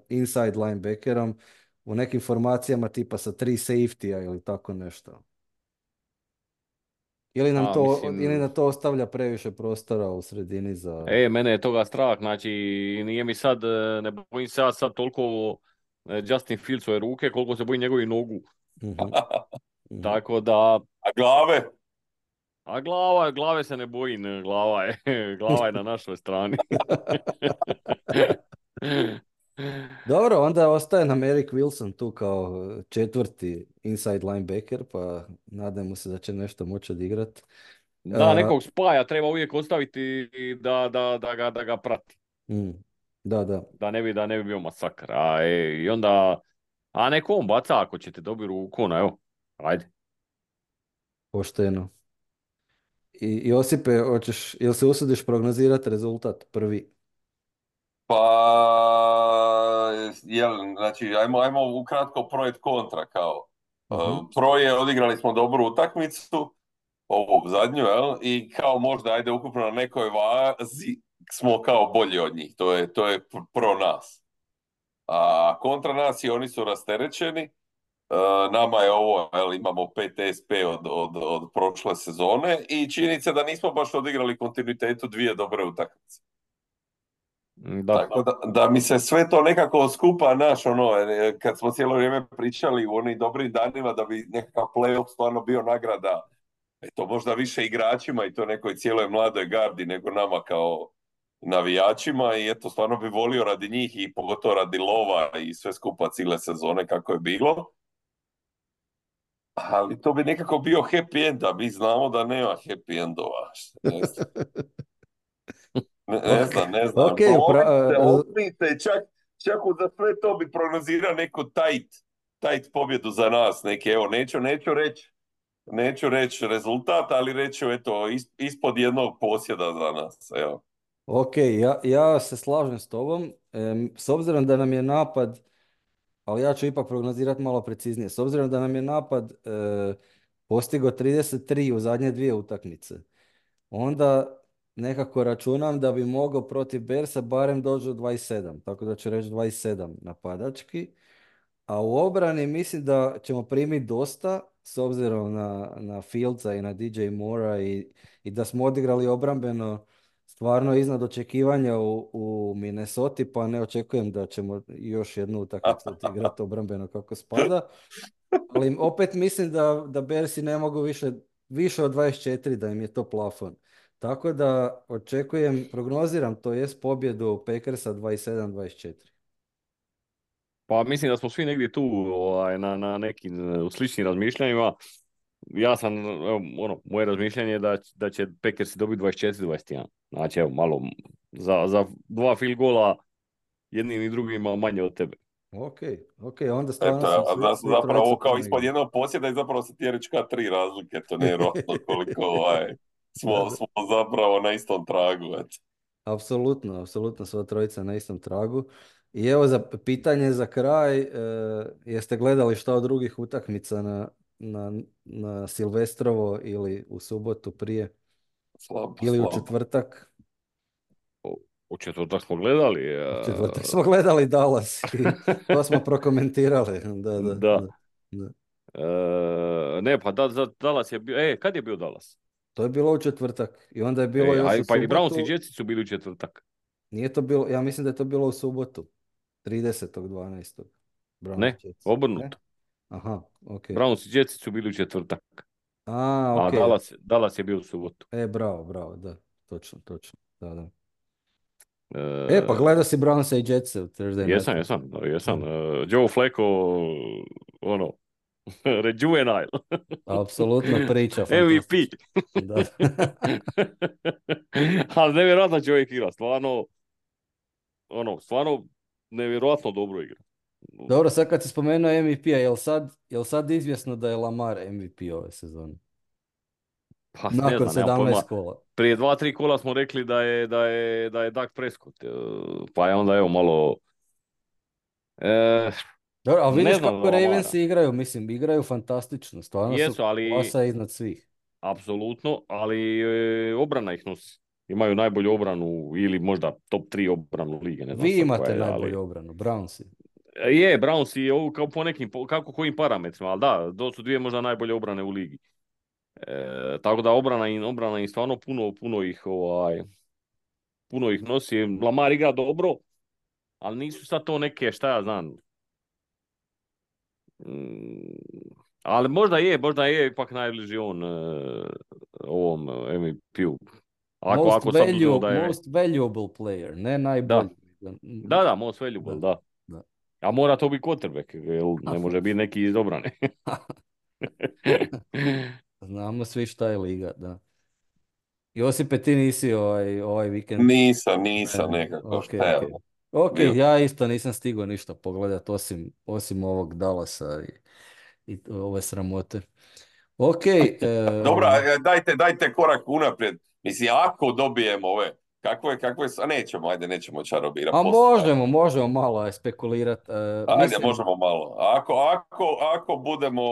inside linebackerom u nekim formacijama tipa sa 3 safety-a ili tako nešto? Ili nam to ostavlja previše prostora u sredini za... Mene je toga strah, znači nije mi sad, ne bojim se ja sad toliko Justin Fieldsove ruke koliko se bojim njegovih nogu. Tako da... A glave? A glave se ne bojim, glava je na našoj strani. Dobro, onda ostaje nam Eric Wilson tu kao četvrti inside linebacker, pa nadajmo se da će nešto moći odigrati. Da, nekog spaja treba uvijek ostaviti da ga prati. Da. Da ne bi bio masakr. I onda, neko on baca ako ćete dobiti ruku, evo, ajde. Pošteno. I Josipe, jel se usudiš prognozirati rezultat prvi? Pa, znači, ajmo ukratko pro et kontra, kao. Proje, odigrali smo dobru utakmicu, ovu zadnju, i kao možda, ajde, ukupno na nekoj vazi smo kao bolji od njih, to je pro nas. A kontra nas i oni su rasterećeni, nama je ovo, imamo 5 SP od prošle sezone i čini se da nismo baš odigrali kontinuitetu dvije dobre utakmice. Tako da mi se sve to nekako skupa, kad smo cijelo vrijeme pričali u onim dobrim danima da bi nekakav play-off stvarno bio nagrada, to možda više igračima i to nekoj cijeloj mladoj gardi nego nama kao navijačima, i eto, stvarno bi volio radi njih i pogotovo radi lova i sve skupa cijele sezone kako je bilo. Ali to bi nekako bio happy end, a mi znamo da nema happy endova. Ne znam. Okay, čak za sve to bi prognozirao neku tight pobjedu za nas. Neću reći rezultat, ali reću ispod jednog posjeda za nas. Evo. Ok, ja se slažem s tobom. S obzirom da nam je napad, ali ja ću ipak prognozirati malo preciznije. S obzirom da nam je napad postigao 33 u zadnje dvije utakmice. Onda nekako računam da bi mogao protiv Bersa barem doći do 27, tako da ću reći 27 napadački. A u obrani mislim da ćemo primiti dosta, s obzirom na Fieldsa i na DJ Mora i da smo odigrali obrambeno stvarno iznad očekivanja u Minnesoti, pa ne očekujem da ćemo još jednu utakmicu odigrati obrambeno kako spada. Ali opet mislim da Bersi ne mogu više od 24, da im je to plafon. Tako da očekujem, prognoziram, to jest pobjedu Packersa 27-24. Pa mislim da smo svi negdje tu na nekim sličnim razmišljanjima. Ja sam, evo, moje razmišljanje je da će Packersi dobiti 24-21. Znači, evo, malo za dva field gola jednim i drugima manje od tebe. Ok, onda stvarno Eto, sam zapravo ovo kao puno ispod igrali. jednog posjeda i zapravo se ti reći kao 3 razlike, to nevjerojatno koliko Da, smo zapravo na istom tragu. Eto. apsolutno sva trojica na istom tragu. I evo za pitanje za kraj, jeste gledali šta od drugih utakmica na Silvestrovo ili u subotu prije ili u Slabo. četvrtak? U četvrtak smo gledali. U četvrtak smo gledali Dallas i to smo prokomentirali. Da, da, Da. da, da. Ne, pa Dallas je bio... kad je bio Dallas? To je bilo u četvrtak i onda je bilo još u Pa i Browns i subotu. Jetsi su bili u četvrtak. Nije to bilo, ja mislim da je to bilo u subotu. 30.12. Browns Ne, Jets. obrnuto. Aha, ok. Browns i Jetsi su bili u četvrtak. Ok. A Dallas je bio u subotu. Bravo, da. Točno. Da, da. E, Pa gledao si Brownsa i Jetsa u Thursday Night. jesam. Joe Flacco, rejuvenile. Apsolutno priča, MVP. fantastično. Da. Ali nevjerojatno čovjek igra, stvarno nevjerojatno dobro igra. Dobro, sad kad si spomenuo MVP-a, jel sad izvjesno da je Lamar MVP ove sezone? Pa ne Nakon znam, nemam pojma. 17 kola. Prije 2-3 kola smo rekli da je Dak Prescott, pa je onda evo malo... Dobro, ali vidiš znam kako za Lamara. Ravensi igraju, mislim, igraju fantastično, stvarno Jesu, su ali klasa iznad svih. apsolutno, ali obrana ih nosi. Imaju najbolju obranu ili možda top 3 obranu lige, ne znam Vi sad koja imate je, najbolju obranu, Brownsi. Je, Browns je ovo kao po nekim, kako kojim parametrima, ali da, to su dvije možda najbolje obrane u ligi. Tako da obrana im stvarno puno ih nosi. Lamar igra dobro, ali nisu sad to neke, šta ja znam. Ali možda je ipak najbliži on ovom MVP-u. Ako sad uzmemo da je... Most valuable player, ne najbolji. Da, most valuable, da. A mora to biti quarterback, jer ne može biti neki iz obrane. Znamo svi šta je liga, da. Josipe, ti nisi ovaj vikend? Nisam nekako, šta je ovo? Ok, ja isto nisam stigao ništa pogledat osim ovog Dallasa i ove sramote. Ok. Dobro, dajte korak unaprijed. Mislim, ako dobijemo ove, kakve su, a nećemo čarobirati. A možemo malo spekulirati. Ajde, možemo malo. Ako budemo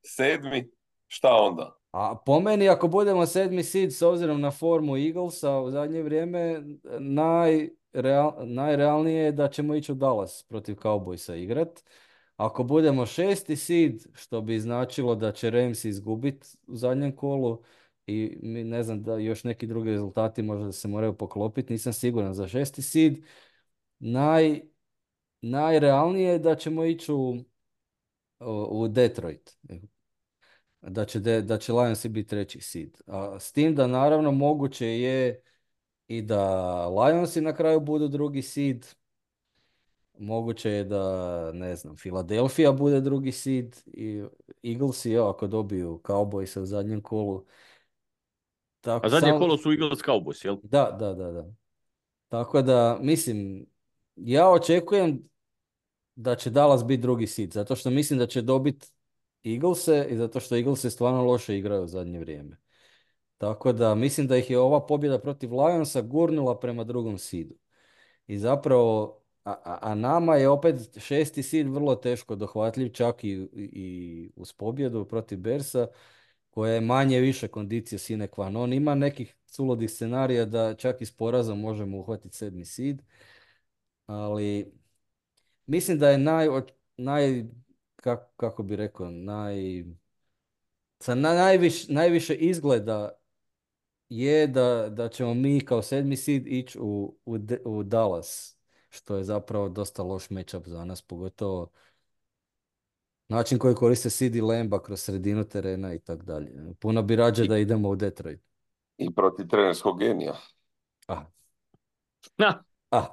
sedmi, šta onda? A po meni, ako budemo sedmi seed, s obzirom na formu Eaglesa u zadnje vrijeme, najrealnije je da ćemo ići u Dallas protiv Cowboysa igrat. Ako budemo šesti seed, što bi značilo da će Rams izgubiti u zadnjem kolu i ne znam da još neki drugi rezultati možda se moraju poklopiti, nisam siguran za šesti seed. Najrealnije je da ćemo ići u Detroit. Da će Lionsi biti treći seed. A s tim da naravno moguće je i da Lionsi na kraju budu drugi seed. Moguće je da, ne znam, Philadelphia bude drugi seed i Eaglesi, ako dobiju Cowboysa u zadnjem kolu. A zadnje kolo su Eagles Cowboys, jel? Da. Tako da, mislim, ja očekujem da će Dallas biti drugi seed, zato što mislim da će dobiti Eaglese i zato što Eaglesi stvarno loše igraju u zadnje vrijeme. Tako da mislim da ih je ova pobjeda protiv Lionsa gurnula prema drugom seedu. I zapravo a nama je opet šesti seed vrlo teško dohvatljiv, čak i uz pobjedu protiv Bersa, koja je manje više kondicije sine qua non. Ima nekih suludih scenarija da čak i s porazom možemo uhvatiti sedmi seed, ali mislim da je kako bi rekao, najviše izgleda je da ćemo mi kao sedmi seed ići u Dallas, što je zapravo dosta loš matchup za nas, pogotovo način koji koriste CD Lamba kroz sredinu terena i tako dalje. Puno bi rađe I, da idemo u Detroit. i protiv trenerskog genija. Ah, Na, ah.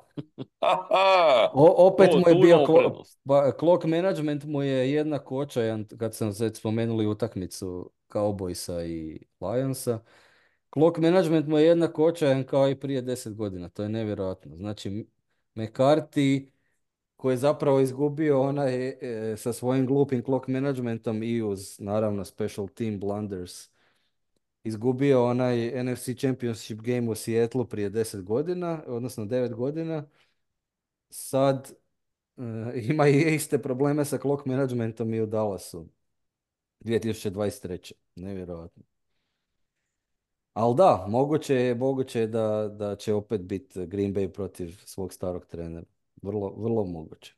Aha! Opet mu je tu bio imamo prednost. clock management mu je jednak očajan, kad sam već spomenuli utakmicu Cowboysa i Lionsa. Clock management mu je jednak očajan kao i prije 10 godina, to je nevjerojatno. Znači, McCarthy koji je zapravo izgubio onaj sa svojim glupim clock managementom i uz naravno special team blunders izgubio onaj NFC Championship game u Seattleu prije 10 godina, odnosno 9 godina. Sad ima i iste probleme sa clock managementom i u Dallasu 2023. Nevjerojatno. Ali da, moguće je da će opet biti Green Bay protiv svog starog trenera. Vrlo, vrlo moguće.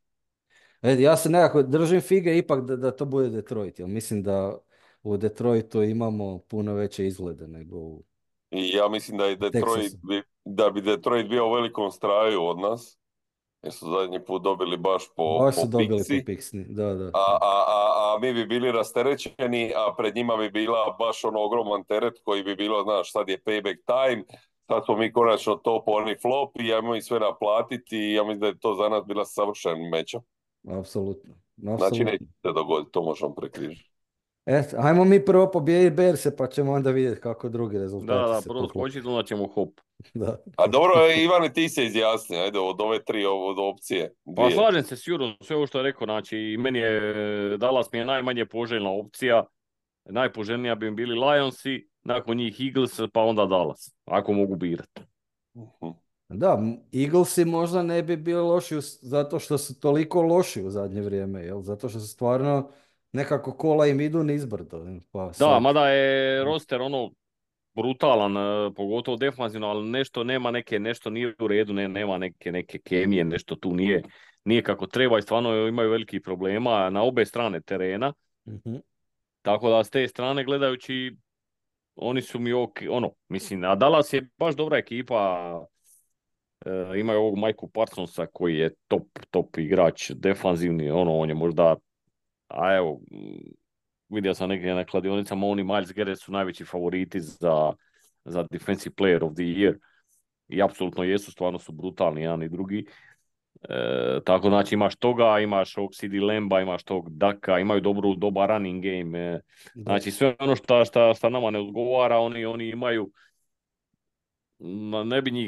Ja se nekako držim fige ipak da to bude Detroit, jer mislim da u Detroitu imamo puno veće izglede nego u I ja mislim da je Texasu. da bi Detroit bio u velikom straju od nas, jer su zadnji put dobili baš Baš su po dobili po piksi, piksni, da, da. a mi bi bili rasterećeni, a pred njima bi bila baš ono ogroman teret koji bi bilo, znaš, sad je payback time, sad smo mi konačno top, oni flop i ajmo ih sve naplatiti i ja mislim da je to za nas bila savršen meča. Apsolutno, Znači neće apsolutno. se dogoditi, to možemo prekrižiti. Eto, ajmo mi prvo pobijediti Berse, pa ćemo onda vidjeti kako drugi rezultati Da, se prvo poklope. skočiti, onda ćemo hop. Da. A dobro, Ivane, ti se izjasni, ajde, od ove tri od opcije, Pa dvije. slažem se s Jurom, sve ovo što je rekao, znači meni je Dallas mi je najmanje poželjna opcija, najpoželjnija bi mi bili Lionsi, nakon njih Eagles, pa onda Dallas, ako mogu birati. Mhm. Da, Eaglesi možda ne bi bili loši zato što su toliko loši u zadnje vrijeme, jel? Zato što su stvarno nekako kola im idu nizbrdo. Pa Da, sad, mada je roster ono brutalan, pogotovo defanzivno, ali nešto nije u redu, nema neke kemije, nešto tu nije kako treba i stvarno imaju velikih problema na obe strane terena. mhm, Tako da s te strane gledajući, oni su mi ono, mislim, a Dallas je baš dobra ekipa, imaju ovog Mikeu Parsonsa koji je top igrač, defanzivni, ono, on je možda, a evo, vidio sam negdje na kladionicama, oni Miles Garrett su najveći favoriti za Defensive Player of the Year i apsolutno jesu, stvarno su brutalni jedan i drugi. Tako znači imaš toga, imaš ovog CD Lamba, imaš tog Daka, imaju dobar running game. da. Znači sve ono šta nama ne odgovara, oni imaju,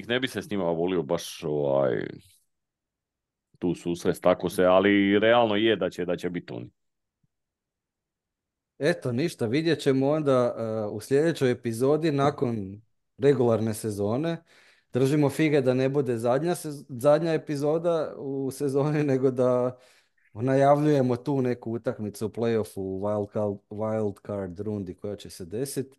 ne bi se s njima volio baš tu susrest, tako se, ali realno je da će biti oni. Eto, ništa, vidjet ćemo onda u sljedećoj epizodi nakon regularne sezone. Držimo fige da ne bude zadnja epizoda u sezoni, nego da najavljujemo tu neku utakmicu u playoffu u wild card rundi koja će se desiti.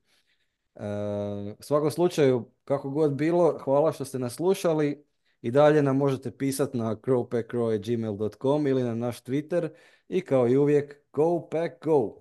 U svakom slučaju, kako god bilo, hvala što ste nas slušali i dalje nam možete pisati na crowpackcrow@gmail.com ili na naš Twitter i kao i uvijek, go pack go!